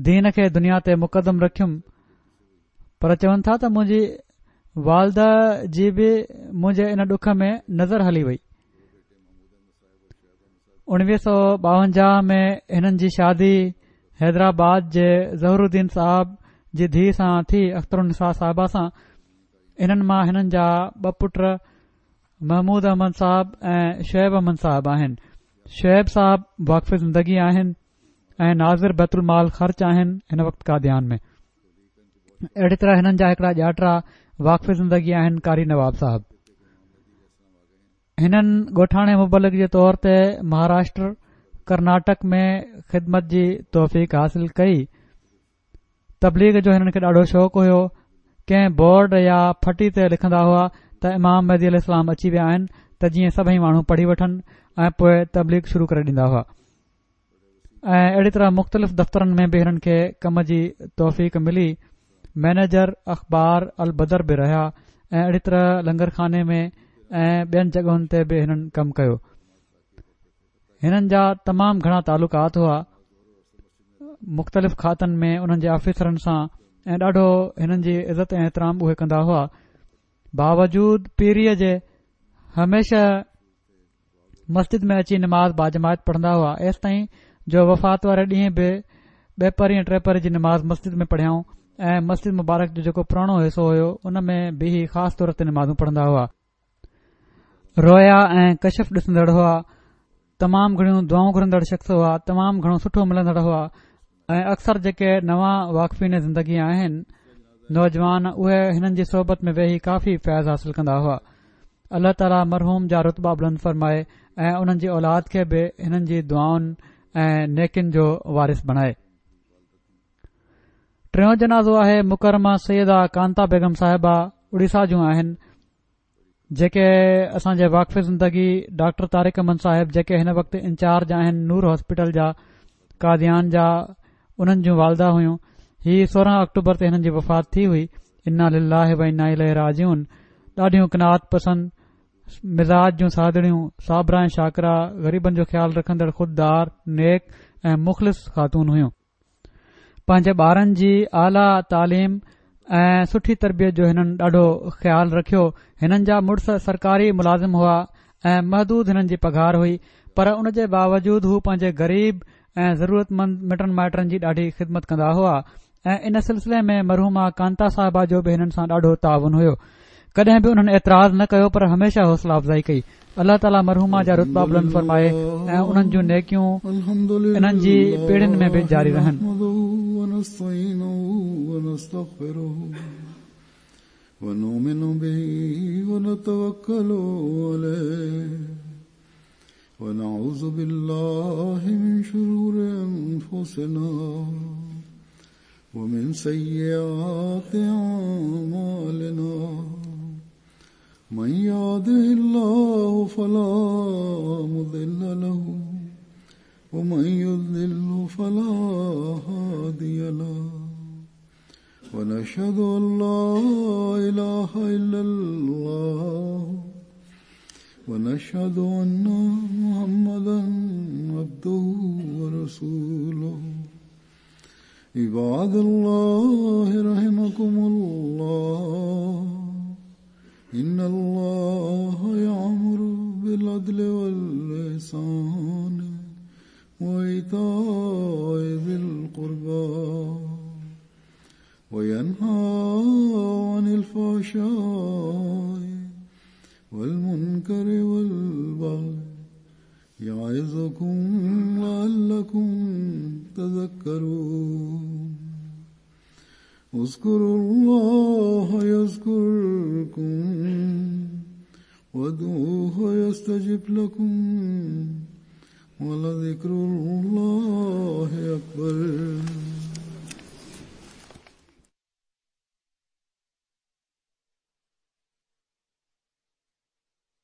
دين کي دنيا تي مقدم رکيم. پر چون ٿا ته منهنجي والده جي به منهنجي ان ڏک ۾ نظر هلي وئي. اڻويهه سؤ ٻاونجاهه ۾ هنن جي شادي حيدرآباد جي ظهرالدين صاحب جي ڌيءَ سان ٿي، اختر النساء صاحبه سان. انهن مان هنن جا ٻه پٽ محمود احمد صاحب ۽ شعيب احمد صاحب آهن. شعيب صاحب واقف زندگي آهن ۽ ناظر بيت المال خرچ آهن هن وقت قاديان ۾. اهڙي طرح هنن جا هڪڙا ڄاٽرا واقف زندگي آهن قاري نواب صاحب. هنن ڳوٺاڻي مبلغ جي طور تي مهاراشٽر ڪرناٽڪ ۾ خدمت جي توفيق حاصل ڪئي. تبليغ جو هنن کي ڏاڍو شوق هيو. ڪنهن بورڊ يا ڦٽي تي لکندا هئا ته امام مهدي عليه السلام اچي ويا آهن ته جيئن سڀئي ماڻهو پڙهي وٺن ۽ پوءِ تبليغ شروع ڪري ڏيندا هئا. ۽ اهڙي طرح مختلف دفترن ۾ به هنن کي ڪم جي توفيق ملي. مئنيجر اخبار البدر به رهيا ۽ اهڙي طرح لنگر خاني ۾ ۽ ٻين جڳهن تي به هنن ڪم ڪيو. هنن جا تمام گهڻا تعلقات هئا مختلف کاتن ۾ انهن جي آفيسرن سان ۽ ڏاڍو هنن جي عزت ۽ احترام اهي ڪندا هئا. باوجود پيريءَ جي هميشه مسجد ۾ اچي نماز باجماعت پڙهندا هئا، ايستائين جو وفات واري ڏينهن به ٻه پهري ۽ ٽي پهري جي نماز مسجد ۾ پڙهيائون ۽ مسجد مبارڪ جو جيڪو پراڻو حصو هيو ان ۾ بيهي خاص طور تي نمازون پڙهندا هئا. رويا ۽ ڪشف ڏسندڙ هئا، تمام گهڻيون دعائون گهرندڙ شخص هئا، تمام گهڻو سٺو ملندڙ هئا ۽ اڪثر جيڪي نوان واقفين زندگي آهن نوجوان اهي هنن جي صحبت ۾ ويهي ڪافي فيض حاصل ڪندا هئا. الله تعاليٰ مرحوم جا رتبا بلند فرمائي ۽ انهن جي اولاد کي به هنن جي دعائن ۽ نيڪين جو وارث بڻائي. ٽيون جنازو آهي مڪرمه سيده ڪانتا بيگم صاحبه اڙيسا جون آهن، جيڪي اسان جي واقف زندگي ڊاڪٽر طارق احمد صاحب جيڪي هن وقت انچارج آهن نور هاسپيٽل جا قاديان جا، انهن جون والده هيون. هي سورهن آڪٽوبر تي هنن جي وفات ٿي هئي. انا لله و انا اليه راجعون. ڏاڍيون قناعت پسند، مزاج جون سادڙيون، صابره ۽ شاڪره، غريبن جو خيال رکندڙ، خوددار، نيڪ ۽ مخلص خاتون هيون. پنهنجي ٻارن جي اعليٰ تعليم ۽ سٺي تربيت جو هنن ڏاڍو خيال رکيو. هنن جا مڙس سرڪاري ملازم هئا ۽ محدود هنن جي پگهار هئي، پر ان جي باوجود هو پنهنجي غريب ۽ ضرورتمند مٽن مائٽن جي ڏاڍي خدمت ڪندا هئا ۽ ان سلسلي ۾ مرحومه ڪانتا صاحبه جو به هنن سان ڏاڍو تعاون هيو. ڪڏهن به انهن اعتراض نه ڪيو، پر هميشه حوصله افزائي ڪئي. الله تعاليٰ مرحومه جا رتبا بلند فرمائي ۽ انهن جون نيڪيون الحمد انهن جي پيڙهين ۾ به لله جاري رهن. نحمده ونستعينه ونستغفره ونؤمن به ونتوكل عليه ونعوذ بالله من شرور أنفسنا ومن سيئات أعمالنا من يهده الله فلا مضل له ومن يضلل فلا هادي له ونشهد أن لا إله إلا الله ونشهد أن محمدا عبده ورسوله. عباد الله رحمكم الله، إن الله يأمر بالعدل والإحسان وإيتاء ذي القربى وينهى عن الفحشاء والمنكر والبغي يعظكم لعلكم تذكرون. اذكروا الله يذكركم وادعوه يستجب لكم ولذكر الله أكبر.